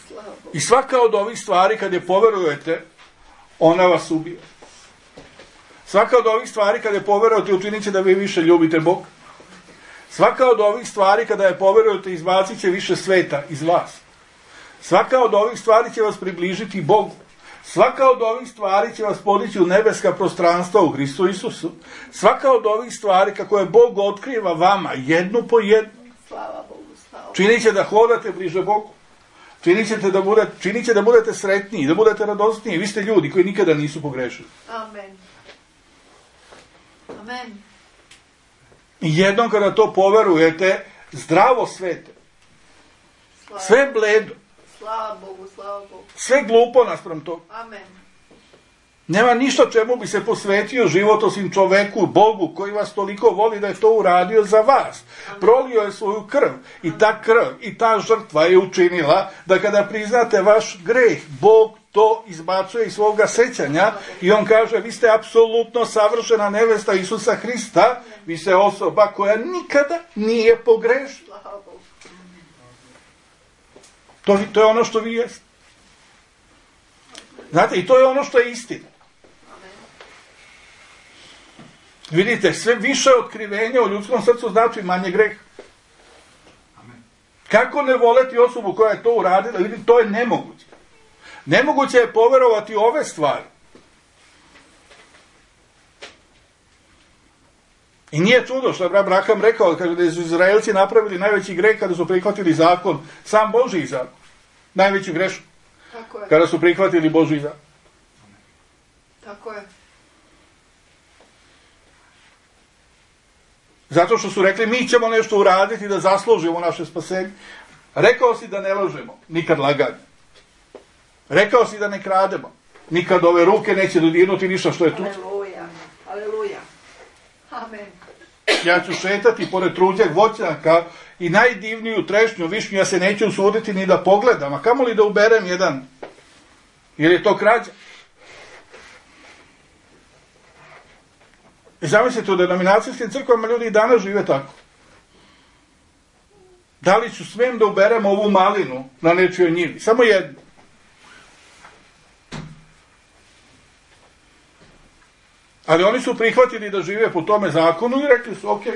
Slava Bogu. I svaka od ovih stvari kad je poverujete, ona vas ubije. Svaka od ovih stvari kada je poverujete, učinit će da vi više ljubite Boga. Svaka od ovih stvari kada je poverujete, izbacit će više sveta iz vas. Svaka od ovih stvari će vas približiti Bogu. Svaka od ovih stvari će vas podići u nebeska prostranstva u Hristu Isusu. Svaka od ovih stvari kako je Bog otkriva vama jednu po jednu, Slava Bogu. Slava Bogu. činit će da hodate bliže Bogu. Činit će da budete, činit će da budete sretniji, da budete radosniji. Vi ste ljudi koji nikada nisu pogrešili. Amen. Amen. I jednom kada to poverujete, zdravo svete, Slava, sve bledo, slava Bogu. Slava Bogu. sve glupo naspram toga. Amen. Nema ništa čemu bi se posvetio život osim čoveku, Bogu, koji vas toliko voli da je to uradio za vas. Prolio je svoju krv i ta krv i ta žrtva je učinila da kada priznate vaš greh, Bog to izbacuje iz svoga sećanja i on kaže, vi ste apsolutno savršena nevesta Isusa Hrista, vi ste osoba koja nikada nije pogrešila. Slava Bogu. To, to je ono što vi jeste. Znate, i to je ono što je istina. Amen. Vidite, sve više otkrivenja u ljudskom srcu znači manje greha. Amen. Kako ne voleti osobu koja je to uradila? Vidite, to je nemoguće. Nemoguće je poverovati ove stvari. I nije čudo što je brat Branham rekao, kaže da su Izraelci napravili najveći greh kada su prihvatili zakon, sam Božji zakon. Najveći grešak. Tako je. Kada su prihvatili Božji zakon. Tako je. Zato što su rekli, mi ćemo nešto uraditi da zaslužimo naše spasenje. Rekao si da ne lažemo, nikad laganje. Rekao si da ne krademo, nikad ove ruke neće dodirnuti ništa što je tu. Aleluja. Aleluja. Amen. Ja ću šetati pored truđeg voćnjaka i najdivniju trešnju višnju ja se neću usuditi ni da pogledam, a kamoli da uberem jedan. Jer je to krađa. I zamislite, u denominacijskim crkvama ljudi i danas žive tako. Da li ću smem da uberem ovu malinu na nečijoj njivi? Samo jednu. Ali oni su prihvatili da žive po tome zakonu i rekli su, ok.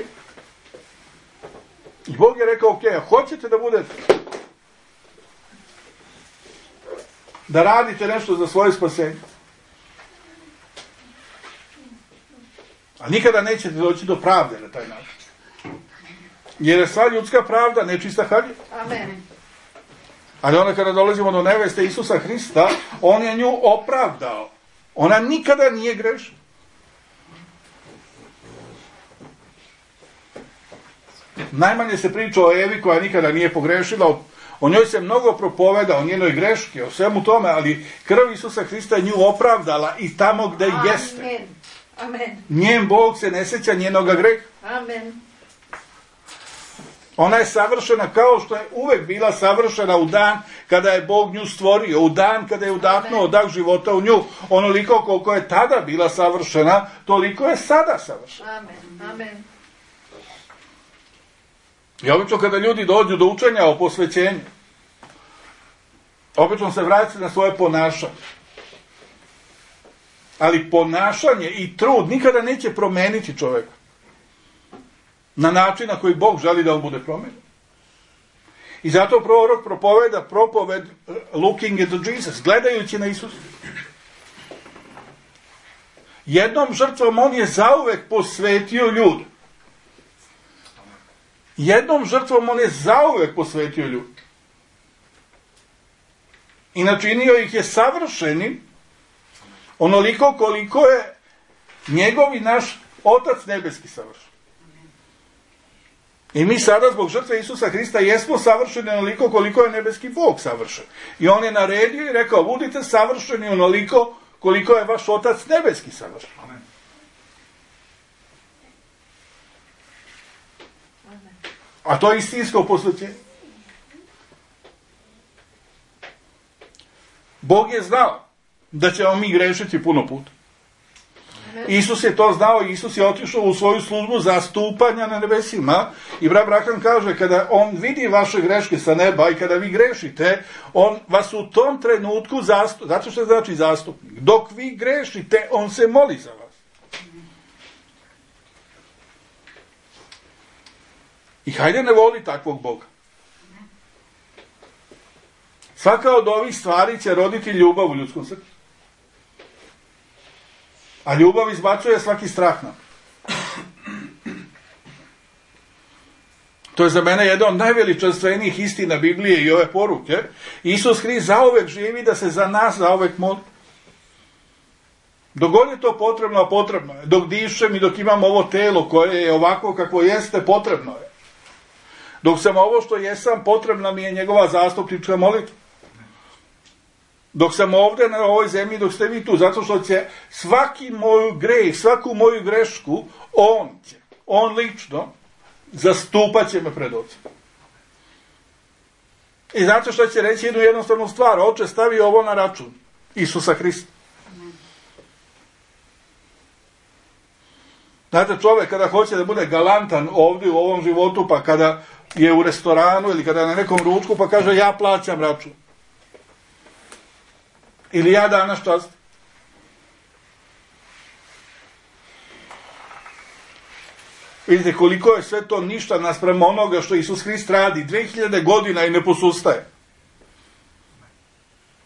I Bog je rekao, ok, a hoćete da budete? Da radite nešto za svoje spasenje? A nikada nećete doći do pravde na taj način. Jer je sva ljudska pravda nečista haljina. Amen. Ali onda kada dolazimo do neveste Isusa Hrista, on je nju opravdao. Ona nikada nije grešna. Najmanje se priča o Evi koja nikada nije pogrešila, o, o njoj se mnogo propoveda, o njenoj greški, o svemu tome, ali krv Isusa Hrista je nju opravdala i tamo gde Amen. jeste. Amen. Njen Bog se ne sjeća njenoga greha. Amen. Ona je savršena kao što je uvek bila savršena u dan kada je Bog nju stvorio, u dan kada je udahnuo dah života u nju. Onoliko koliko je tada bila savršena, toliko je sada savršena. Amen. Amen. I obično kada ljudi dođu do učenja o posvećenju, obično se vraćaju na svoje ponašanje. Ali ponašanje i trud nikada neće promeniti čoveka na način na koji Bog želi da on bude promenjen. I zato prorok propoveda propoved looking at Jesus, gledajući na Isusa. Jednom žrtvom on je zauvek posvetio ljude. Jednom žrtvom on je zauvek posvetio ljude. I načinio ih je savršenim onoliko koliko je njegov i naš Otac nebeski savršen. I mi sada zbog žrtve Isusa Hrista jesmo savršeni onoliko koliko je nebeski Bog savršen. I on je naredio i rekao, budite savršeni onoliko koliko je vaš Otac nebeski savršen. Amen. A to je istinsko posvećenje. Bog je znao da ćemo mi grešiti puno puta. Isus je to znao i Isus je otišao u svoju službu zastupanja na nebesima. I brat Branham kaže, kada on vidi vaše greške sa neba i kada vi grešite, on vas u tom trenutku zastupa. Zato što znači zastupnik. Dok vi grešite, on se moli za vas. I hajde ne voli takvog Boga. Svaka od ovih stvari će roditi ljubav u ljudskom srcu. A ljubav izbacuje svaki strah nam. To je za mene jedna od najveličanstvenijih istina Biblije i ove poruke. Isus Hrist zauvek živi da se za nas zauvek moli. Dok god je to potrebno, a potrebno je. Dok dišem i dok imam ovo telo koje je ovako kakvo jeste, potrebno je. Dok sam ovo što jesam, potrebna mi je njegova zastupnička molitva. Dok sam ovdje na ovoj zemlji, dok ste vi tu, zato što će svaki moju greh, svaku moju grešku, on će, on lično, zastupat će me pred Ocem. I znate što će reći jednu jednostavnu stvar, Oče, stavi ovo na račun Isusa Hrista. Znate, čovjek kada hoće da bude galantan ovdje u ovom životu, pa kada je u restoranu ili kada je na nekom ručku, pa kaže ja plaćam račun. Ili ja danas čast. Vidite koliko je sve to ništa naspram onoga što Isus Hrist radi. dve hiljade godina i ne posustaje.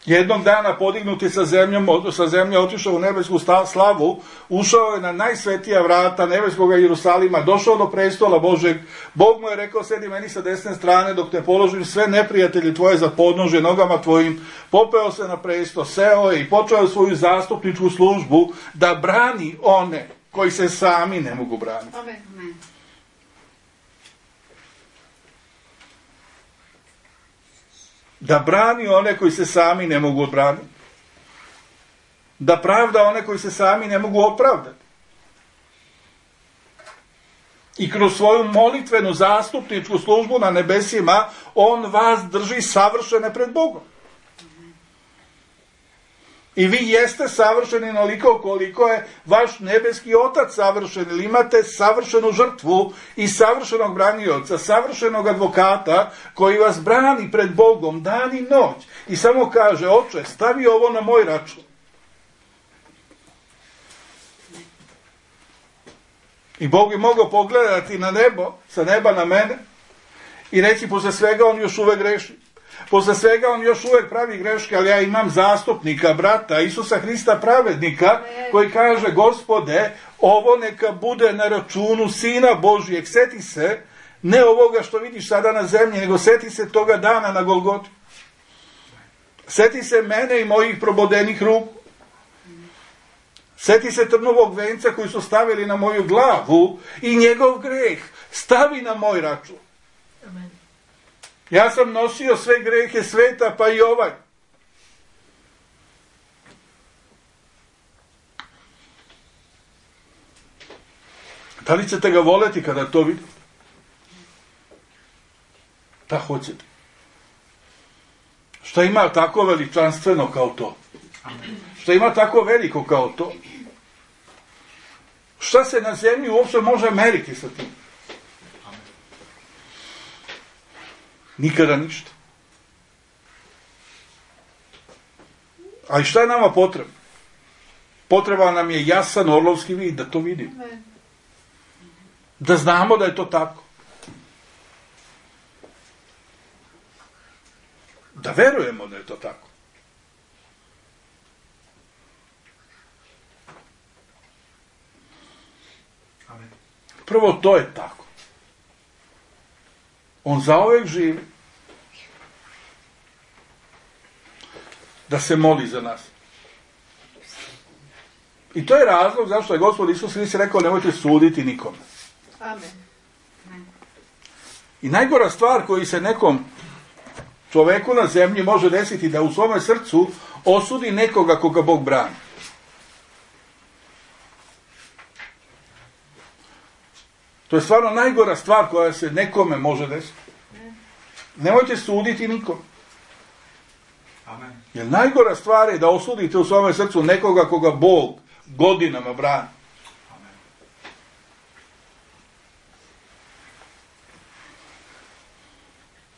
Jednog dana podignut je sa zemljom, sa zemlje otišao u nebesku slavu, ušao je na najsvetija vrata nebeskog Jerusalima, došao do prestola Božeg. Bog mu je rekao, sedi meni sa desne strane dok te položim sve neprijatelji tvoje za podnožje nogama tvojim. Popeo se na presto, seo je i počeo svoju zastupničku službu da brani one koji se sami ne mogu braniti. Amen. Da brani one koji se sami ne mogu odbraniti. Da pravda one koji se sami ne mogu opravdati. I kroz svoju molitvenu zastupničku službu na nebesima, on vas drži savršene pred Bogom. I vi jeste savršeni onoliko koliko je vaš nebeski otac savršen, ili imate savršenu žrtvu i savršenog branioca, savršenog advokata koji vas brani pred Bogom dan i noć. I samo kaže, oče, stavi ovo na moj račun. I Bog bi mogao pogledati na nebo, sa neba na mene, i reći, posle svega on još uvek greši. Posle svega on još uvek pravi greške, ali ja imam zastupnika, brata, Isusa Hrista pravednika, koji kaže, Gospode, ovo neka bude na računu Sina Božijeg. Seti se, ne ovoga što vidiš sada na zemlji, nego seti se toga dana na Golgoti. Seti se mene i mojih probodenih ruku. Seti se trnovog venca koji su stavili na moju glavu i njegov greh stavi na moj račun. Amen. Ja sam nosio sve grehe sveta, pa i ovaj. Da li ćete ga voleti kada to vidite? Da hoćete. Šta ima tako veličanstveno kao to? Šta ima tako veliko kao to? Šta se na zemlji uopšte može meriti sa tim? Nikada ništa. A i šta je nama potrebno? Potreba nam je jasan orlovski vid, da to vidimo. Da znamo da je to tako. Da verujemo da je to tako. Prvo, to je tako. On zauvek živi da se moli za nas. I to je razlog zašto je Gospod Isus Hrist rekao, nemojte suditi nikome. Amen. I najgora stvar koji se nekom čoveku na zemlji može desiti, da u svome srcu osudi nekoga koga Bog brani. To je stvarno najgora stvar koja se nekome može desiti. Nemojte suditi nikom. Amen. Jer najgora stvar je da osudite u svome srcu nekoga koga Bog godinama brani. Amen.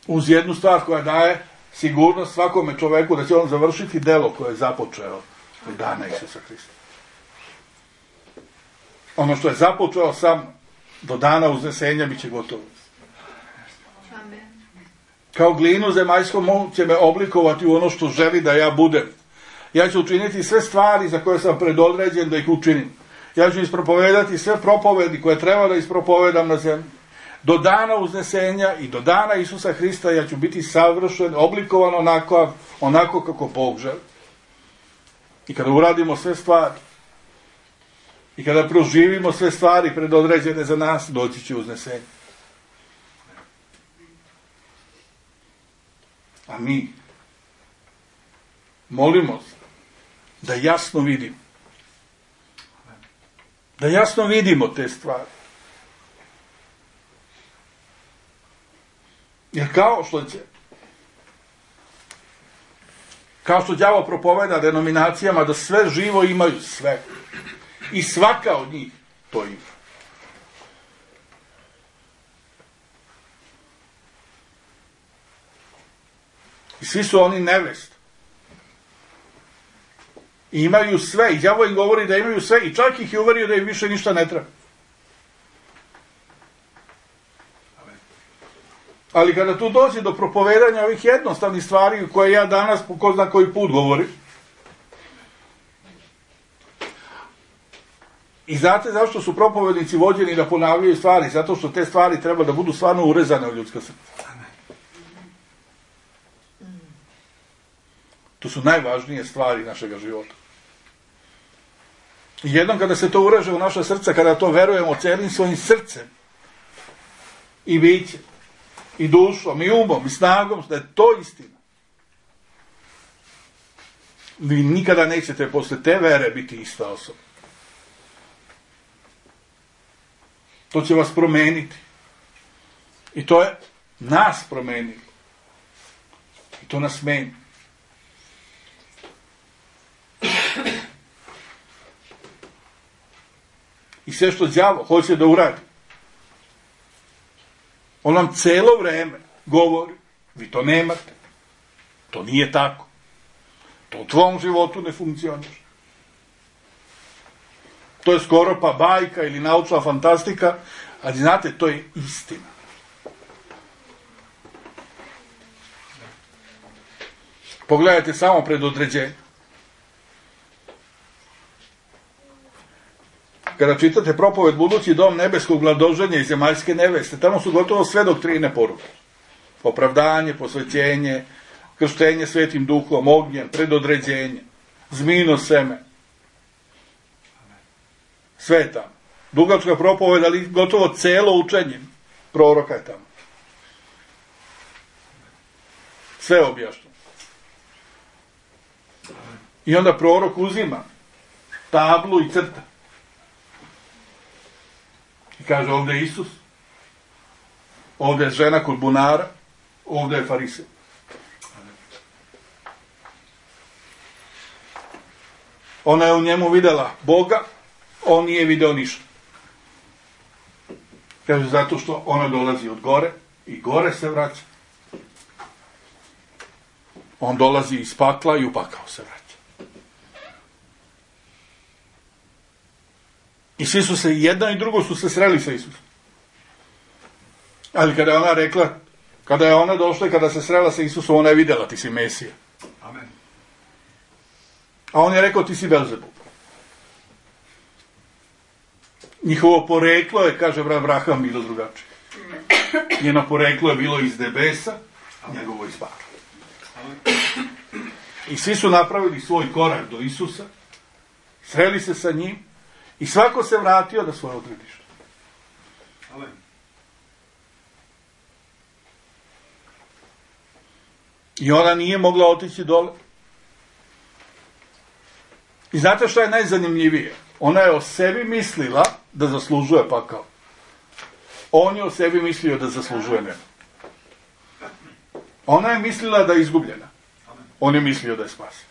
Uz jednu stvar koja daje sigurnost svakome čoveku da će on završiti delo koje je započeo od dana Isusa Hrista. Ono što je započeo sam do dana uznesenja bit će gotovo. Amen. Kao glinu zemaljskom će me oblikovati u ono što želi da ja budem. Ja ću učiniti sve stvari za koje sam predodređen da ih učinim. Ja ću ispropovedati sve propovedi koje treba da ispropovedam na zemlji. Do dana uznesenja i do dana Isusa Hrista ja ću biti savršen, oblikovan onako, onako kako Bog želi. I kada uradimo sve stvari, i kada proživimo sve stvari predodređene za nas, doći će uznesenje. A mi molimo se da jasno vidimo. Da jasno vidimo te stvari. Jer kao što će, kao što đavo propoveda denominacijama da sve živo imaju sve. I svaka od njih to ima. I svi su oni nevest. I imaju sve. I đavo im govori da imaju sve. I čak ih je uverio da im više ništa ne treba. Ali kada tu dođe do propovedanja ovih jednostavnih stvari koje ja danas po ko zna koji put govorim, i znate zašto su propovednici vođeni da ponavljaju stvari? Zato što te stvari treba da budu stvarno urezane u ljudska srca. To su najvažnije stvari našega života. I jednom kada se to ureže u naša srca, kada to verujemo celim svojim srcem i bićem, i dušom, i umom, i snagom, da je to istina. Vi nikada nećete posle te vere biti ista osoba. To će vas promeniti. I to je nas promenilo. I to nas meni. I sve što đavo hoće da uradi, on nam celo vreme govori, vi to nemate, to nije tako, to u tvom životu ne funkcioniše. To je skoro pa bajka ili naučna fantastika, ali znate, to je istina. Pogledajte samo predodređenje. Kada čitate propoved Budući dom nebeskog mladoženja i zemaljske neveste, tamo su gotovo sve doktrine poruke. Opravdanje, posvećenje, krštenje svetim duhom, ognjem, predodređenje, zmijino seme. Sve je tamo. Dugačka propoved, ali gotovo celo učenje proroka je tamo. Sve je objašnjeno. I onda prorok uzima tablu i crta. I kaže, ovdje je Isus, ovdje je žena kod bunara, ovdje je farisej. Ona je u njemu vidjela Boga, on nije video ništa. Kaže, zato što ona dolazi od gore i gore se vraća. On dolazi iz pakla i u pakao se vraća. I svi su se, jedna i drugo su se sreli sa Isusom. Ali kada je ona rekla, kada je ona došla i kada se srela sa Isusom, ona je vidjela, ti si Mesija. Amen. A on je rekao, ti si Belzebub. Njihovo poreklo je, kaže Abraham, bilo drugačije. Njeno poreklo je bilo iz nebesa, a njegovo iz pakla. I svi su napravili svoj korak do Isusa, sreli se sa njim, i svako se vratio na svoje odredište. Amen. I ona nije mogla otići dole. I znate što je najzanimljivije? Ona je o sebi mislila da zaslužuje pakao. On je o sebi mislio da zaslužuje nebo. Ona je mislila da je izgubljena. On je mislio da je spasen.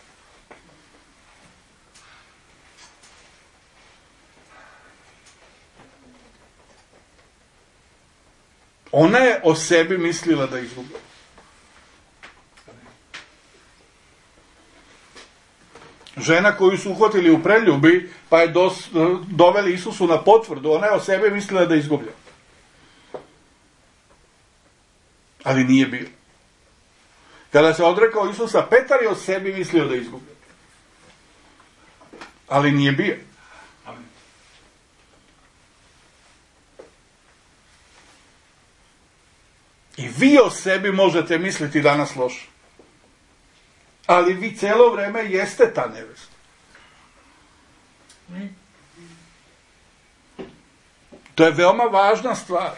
Ona je o sebi mislila da je izgubila. Žena koju su uhvatili u preljubi, pa je dos, doveli Isusu na potvrdu, ona je o sebi mislila da je izgubljena. Ali nije bio. Kada se odrekao Isusa, Petar je o sebi mislio da je izgubljen. Ali nije bio. I vi o sebi možete misliti danas loše. Ali vi cijelo vrijeme jeste ta nevesta. To je veoma važna stvar.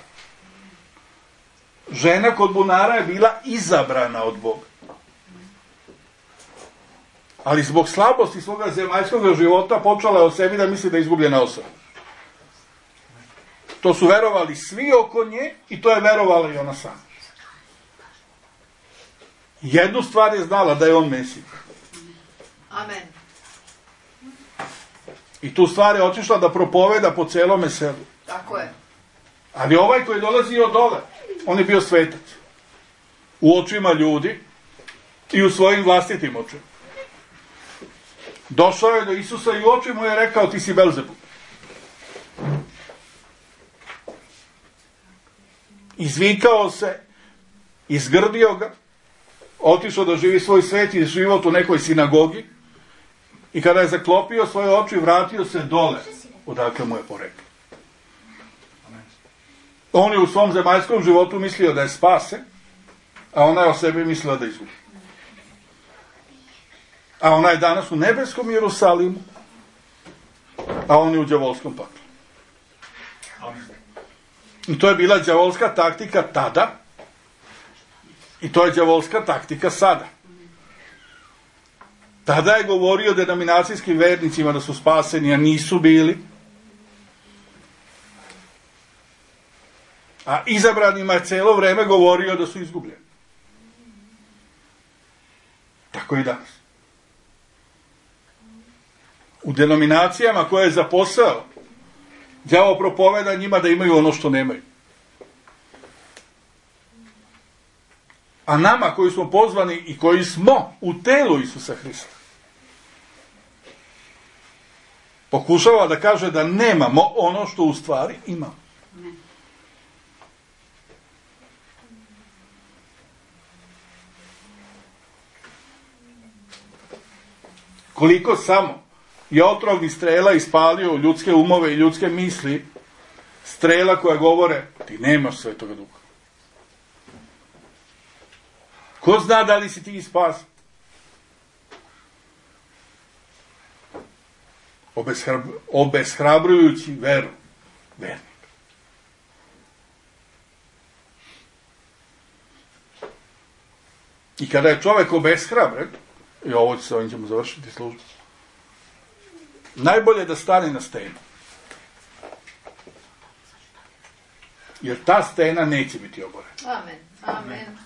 Žena kod bunara je bila izabrana od Boga. Ali zbog slabosti svoga zemaljskog života počela je o sebi da misli da je izgubljena osoba. To su verovali svi oko nje i to je verovala i ona sama. Jednu stvar je znala, da je on Mesija. Amen. I tu stvar je otišla da propoveda po celome selu. Tako je. Ali ovaj koji dolazi od dole, on je bio svetac. U očima ljudi i u svojim vlastitim očima. Došao je do Isusa i u oči mu je rekao, ti si Belzebub. Izvikao se, izgrdio ga, otišao da živi svoj sveti život u nekoj sinagogi i kada je zaklopio svoje oči, vratio se dole, odakle mu je poreklo. On je u svom zemaljskom životu mislio da je spasen, a ona je o sebi mislila da je izgubi. A ona je danas u nebeskom Jerusalimu, a on je u đavolskom paklu. I to je bila đavolska taktika tada, i to je đavolska taktika sada. Tada je govorio denominacijskim vernicima da su spaseni, a nisu bili. A izabranima je cijelo vrijeme govorio da su izgubljeni. Tako i danas. U denominacijama koje je za posao, đavo propoveda njima da imaju ono što nemaju. A nama koji smo pozvani i koji smo u telu Isusa Hrista, pokušava da kaže da nemamo ono što u stvari imamo. Koliko samo je otrovnih strela ispalio u ljudske umove i ljudske misli, strela koja govore ti nemaš Svetoga Duha. Ko zna da li si ti spasan? Obeshrab, obeshrabrujući veru vernika. I kada je čovjek obeshrabren, i ovo se ovim ćemo završiti službu, najbolje da stane na stenu. Jer ta stena neće biti oborena. Amen. Amen.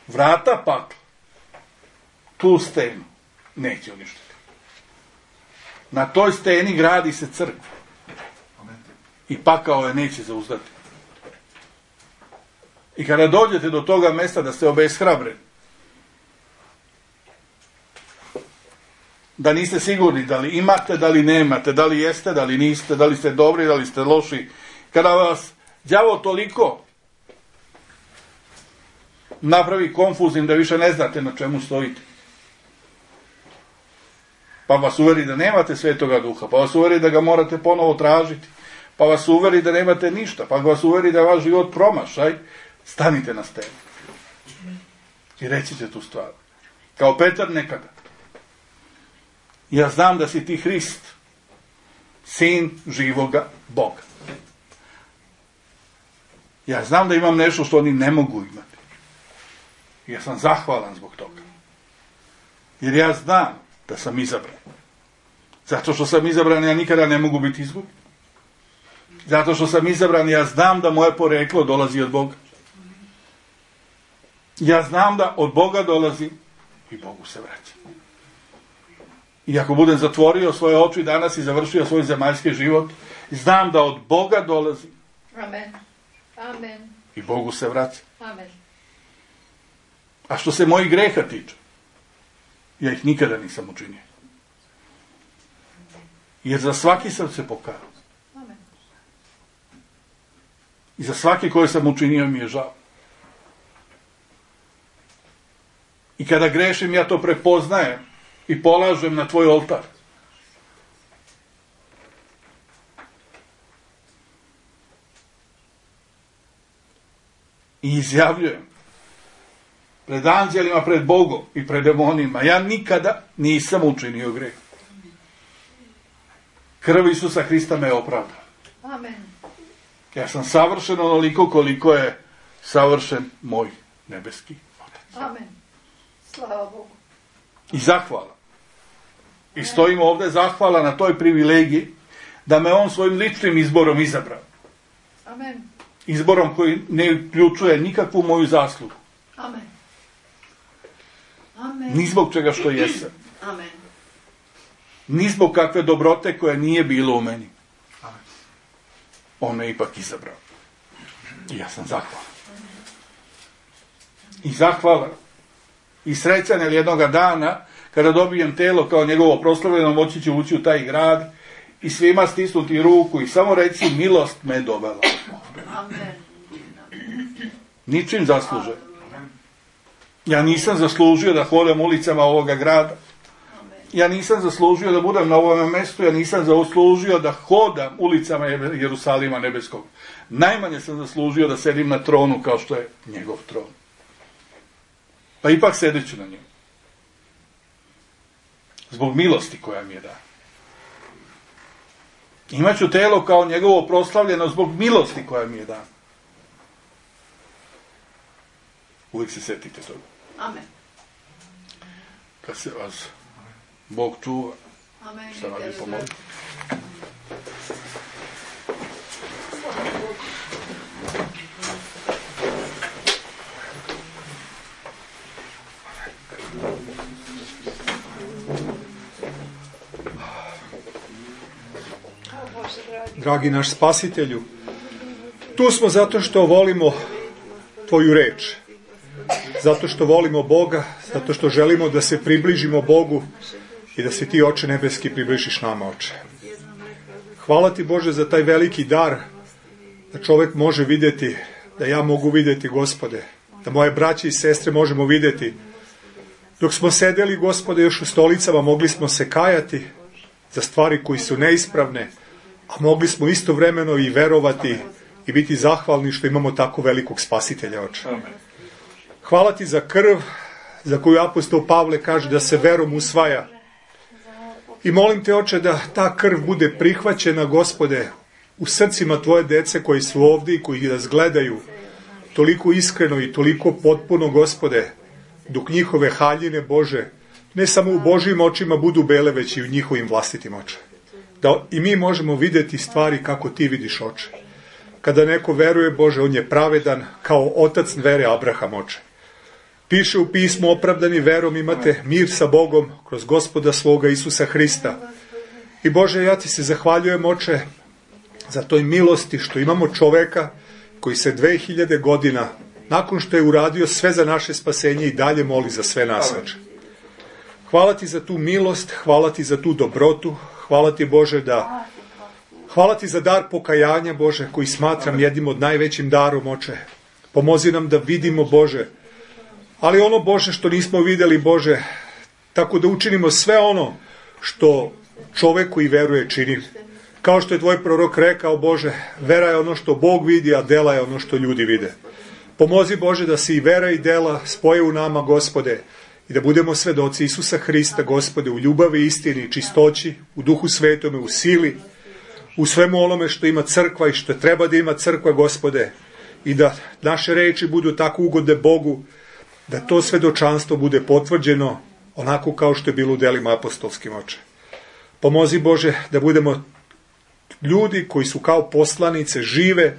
Vrata pakla tu stenu neće uništiti. Na toj steni gradi se crkva. I pakao je neće zauzdati. I kada dođete do toga mjesta da ste obeshrabreni, da niste sigurni da li imate, da li nemate, da li jeste, da li niste, da li ste dobri, da li ste loši, kada vas đavo toliko napravi konfuznim da više ne znate na čemu stojite, pa vas uveri da nemate Svetoga Duha, pa vas uveri da ga morate ponovo tražiti, pa vas uveri da nemate ništa, pa vas uveri da je vaš život promašaj, stanite na stenu i recite tu stvar. Kao Petar nekada. Ja znam da si ti Hrist, sin živoga Boga. Ja znam da imam nešto što oni ne mogu imati. Ja sam zahvalan zbog toga. Jer ja znam da sam izabran. Zato što sam izabran, ja nikada ne mogu biti izgubljen. Zato što sam izabran, ja znam da moje poreklo dolazi od Boga. Ja znam da od Boga dolazi i Bogu se vraća. I ako budem zatvorio svoje oči danas i završio svoj zemaljski život, znam da od Boga dolazi. Amen. Amen. I Bogu se vraća. Amen. A što se mojih greha tiče, ja ih nikada nisam učinio. Jer za svaki sam se pokazao. Amen. I za svaki koji sam učinio mi je žao. I kada grešim, ja to prepoznajem i polažem na tvoj oltar. I izjavljujem pred anđelima, pred Bogom i pred demonima, ja nikada nisam učinio greh. Krv Isusa Hrista me opravda. Amen. Ja sam savršen onoliko koliko je savršen moj nebeski Otac. Amen. Slava Bogu. I zahvala. I stojim ovdje zahvala na toj privilegiji da me on svojim ličnim izborom izabrao. Amen. Izborom koji ne uključuje nikakvu moju zaslugu. Amen. Amen. Ni zbog čega što jesam. Amen. Ni zbog kakve dobrote koja nije bilo u meni. On me ipak izabrao. I ja sam zahvalan. I zahvalan. I srećan, jer jednoga dana, kada dobijem telo kao njegovo proslavljeno, moći ću ući u taj grad i svima stisnuti ruku i samo reći, milost me dovela. Amen. Ničim zaslužen. Ja nisam zaslužio da hodam ulicama ovoga grada. Ja nisam zaslužio da budem na ovom mjestu, ja nisam zaslužio da hodam ulicama Jerusalima nebeskog. Najmanje sam zaslužio da sedim na tronu kao što je njegov tron. Pa ipak sedeću na njemu. Zbog milosti koja mi je dana. Imaću telo kao njegovo proslavljeno zbog milosti koja mi je dana. Uvijek se setite toga. Amen. Kad se vas Bog čuva, Amen. šta vam je pomoći. Slava Bogu. dragi naš Spasitelju. Tu smo zato što volimo Tvoju reč, zato što volimo Boga, zato što želimo da se približimo Bogu i da se Ti, Oče nebeski, približiš nama, Oče. Hvala Ti, Bože, za taj veliki dar, da čovek može vidjeti, da ja mogu vidjeti, Gospode, da moje braće i sestre možemo vidjeti. Dok smo sedeli, Gospode, još u stolicama, mogli smo se kajati za stvari koji su neispravne, a mogli smo istovremeno i verovati i biti zahvalni što imamo tako velikog Spasitelja, Oče. Hvala Ti za krv, za koju apostol Pavle kaže da se verom usvaja. I molim Te, Oče, da ta krv bude prihvaćena, Gospode, u srcima Tvoje dece koji su ovdje i koji nas gledaju, toliko iskreno i toliko potpuno, Gospode, dok njihove haljine, Bože, ne samo u Božjim očima budu bele, već i u njihovim vlastitim očima. Da i mi možemo vidjeti stvari kako Ti vidiš, Oče. Kada neko veruje, Bože, on je pravedan kao otac vere Abraham, Oče. Piše u pismu, opravdani verom imate mir sa Bogom kroz Gospoda svoga Isusa Hrista. I Bože, ja Ti se zahvaljujem, Oče, za toj milosti što imamo čoveka koji se dve hiljade godina, nakon što je uradio sve za naše spasenje, i dalje moli za sve nas, Oče. Hvala Ti za tu milost, hvala Ti za tu dobrotu, hvala Ti, Bože, da... Hvala Ti za dar pokajanja, Bože, koji smatram jednim od najvećim darom, Oče. Pomozi nam da vidimo, Bože, ali ono, Bože, što nismo vidjeli, Bože, tako da učinimo sve ono što čovek koji veruje čini. Kao što je Tvoj prorok rekao, Bože, vera je ono što Bog vidi, a dela je ono što ljudi vide. Pomozi, Bože, da se i vera i dela spoje u nama, Gospode, i da budemo svedoci Isusa Hrista, Gospode, u ljubavi, istini, čistoći, u Duhu Svetome, u sili, u svemu onome što ima crkva i što treba da ima crkva, Gospode, i da naše reči budu tako ugodne Bogu, da to svedočanstvo bude potvrđeno onako kao što je bilo u delima apostolskim, Oče. Pomozi, Bože, da budemo ljudi koji su kao poslanice žive,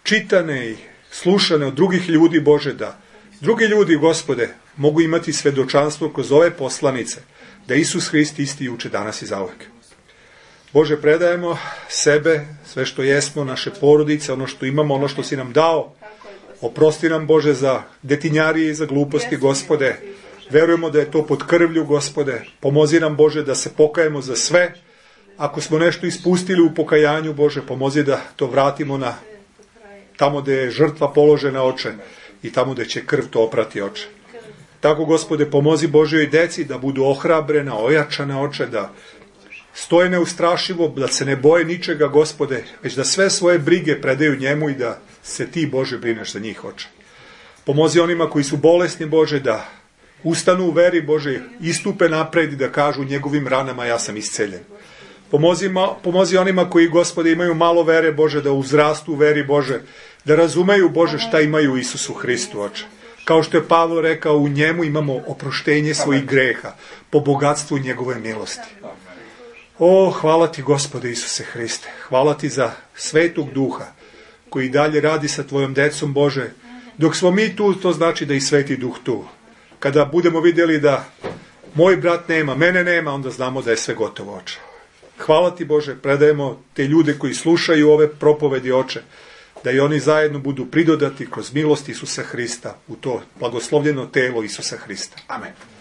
čitane i slušane od drugih ljudi, Bože, da drugi ljudi, Gospode, mogu imati svedočanstvo kroz ove poslanice, da Isus Hrist isti juče, danas i zauvek. Bože, predajemo sebe, sve što jesmo, naše porodice, ono što imamo, ono što si nam dao. Oprosti nam, Bože, za detinjarije i za gluposti, Gospode. Verujemo da je to pod krvlju, Gospode. Pomozi nam, Bože, da se pokajemo za sve. Ako smo nešto ispustili u pokajanju, Bože, pomozi da to vratimo na tamo gde je žrtva položena, Oče, i tamo gde će krv to oprati, Oče. Tako, Gospode, pomozi Božjoj deci da budu ohrabrena, ojačana, Oče, da stoje neustrašivo, da se ne boje ničega, Gospode, već da sve svoje brige predaju njemu i da se Ti, Bože, brineš za njih, Oče. Pomozi onima koji su bolesni, Bože, da ustanu u veri, Bože, istupe napred i da kažu njegovim ranama ja sam isceljen. Pomozi, pomozi onima koji, Gospode, imaju malo vere, Bože, da uzrastu u veri, Bože, da razumeju, Bože, šta imaju u Isusu Hristu, Oče. Kao što je Pavlo rekao, u njemu imamo oproštenje svojih greha, po bogatstvu njegove milosti. O, hvala Ti, Gospode Isuse Hriste. Hvala Ti za Svetog Duha koji dalje radi sa Tvojom decom, Bože. Dok smo mi tu, to znači da i Sveti Duh tu. Kada budemo vidjeli da moj brat nema, mene nema, onda znamo da je sve gotovo, Oče. Hvala Ti, Bože, predajemo te ljude koji slušaju ove propovedi, Oče, da i oni zajedno budu pridodati kroz milost Isusa Hrista u to blagoslovljeno telo Isusa Hrista. Amen.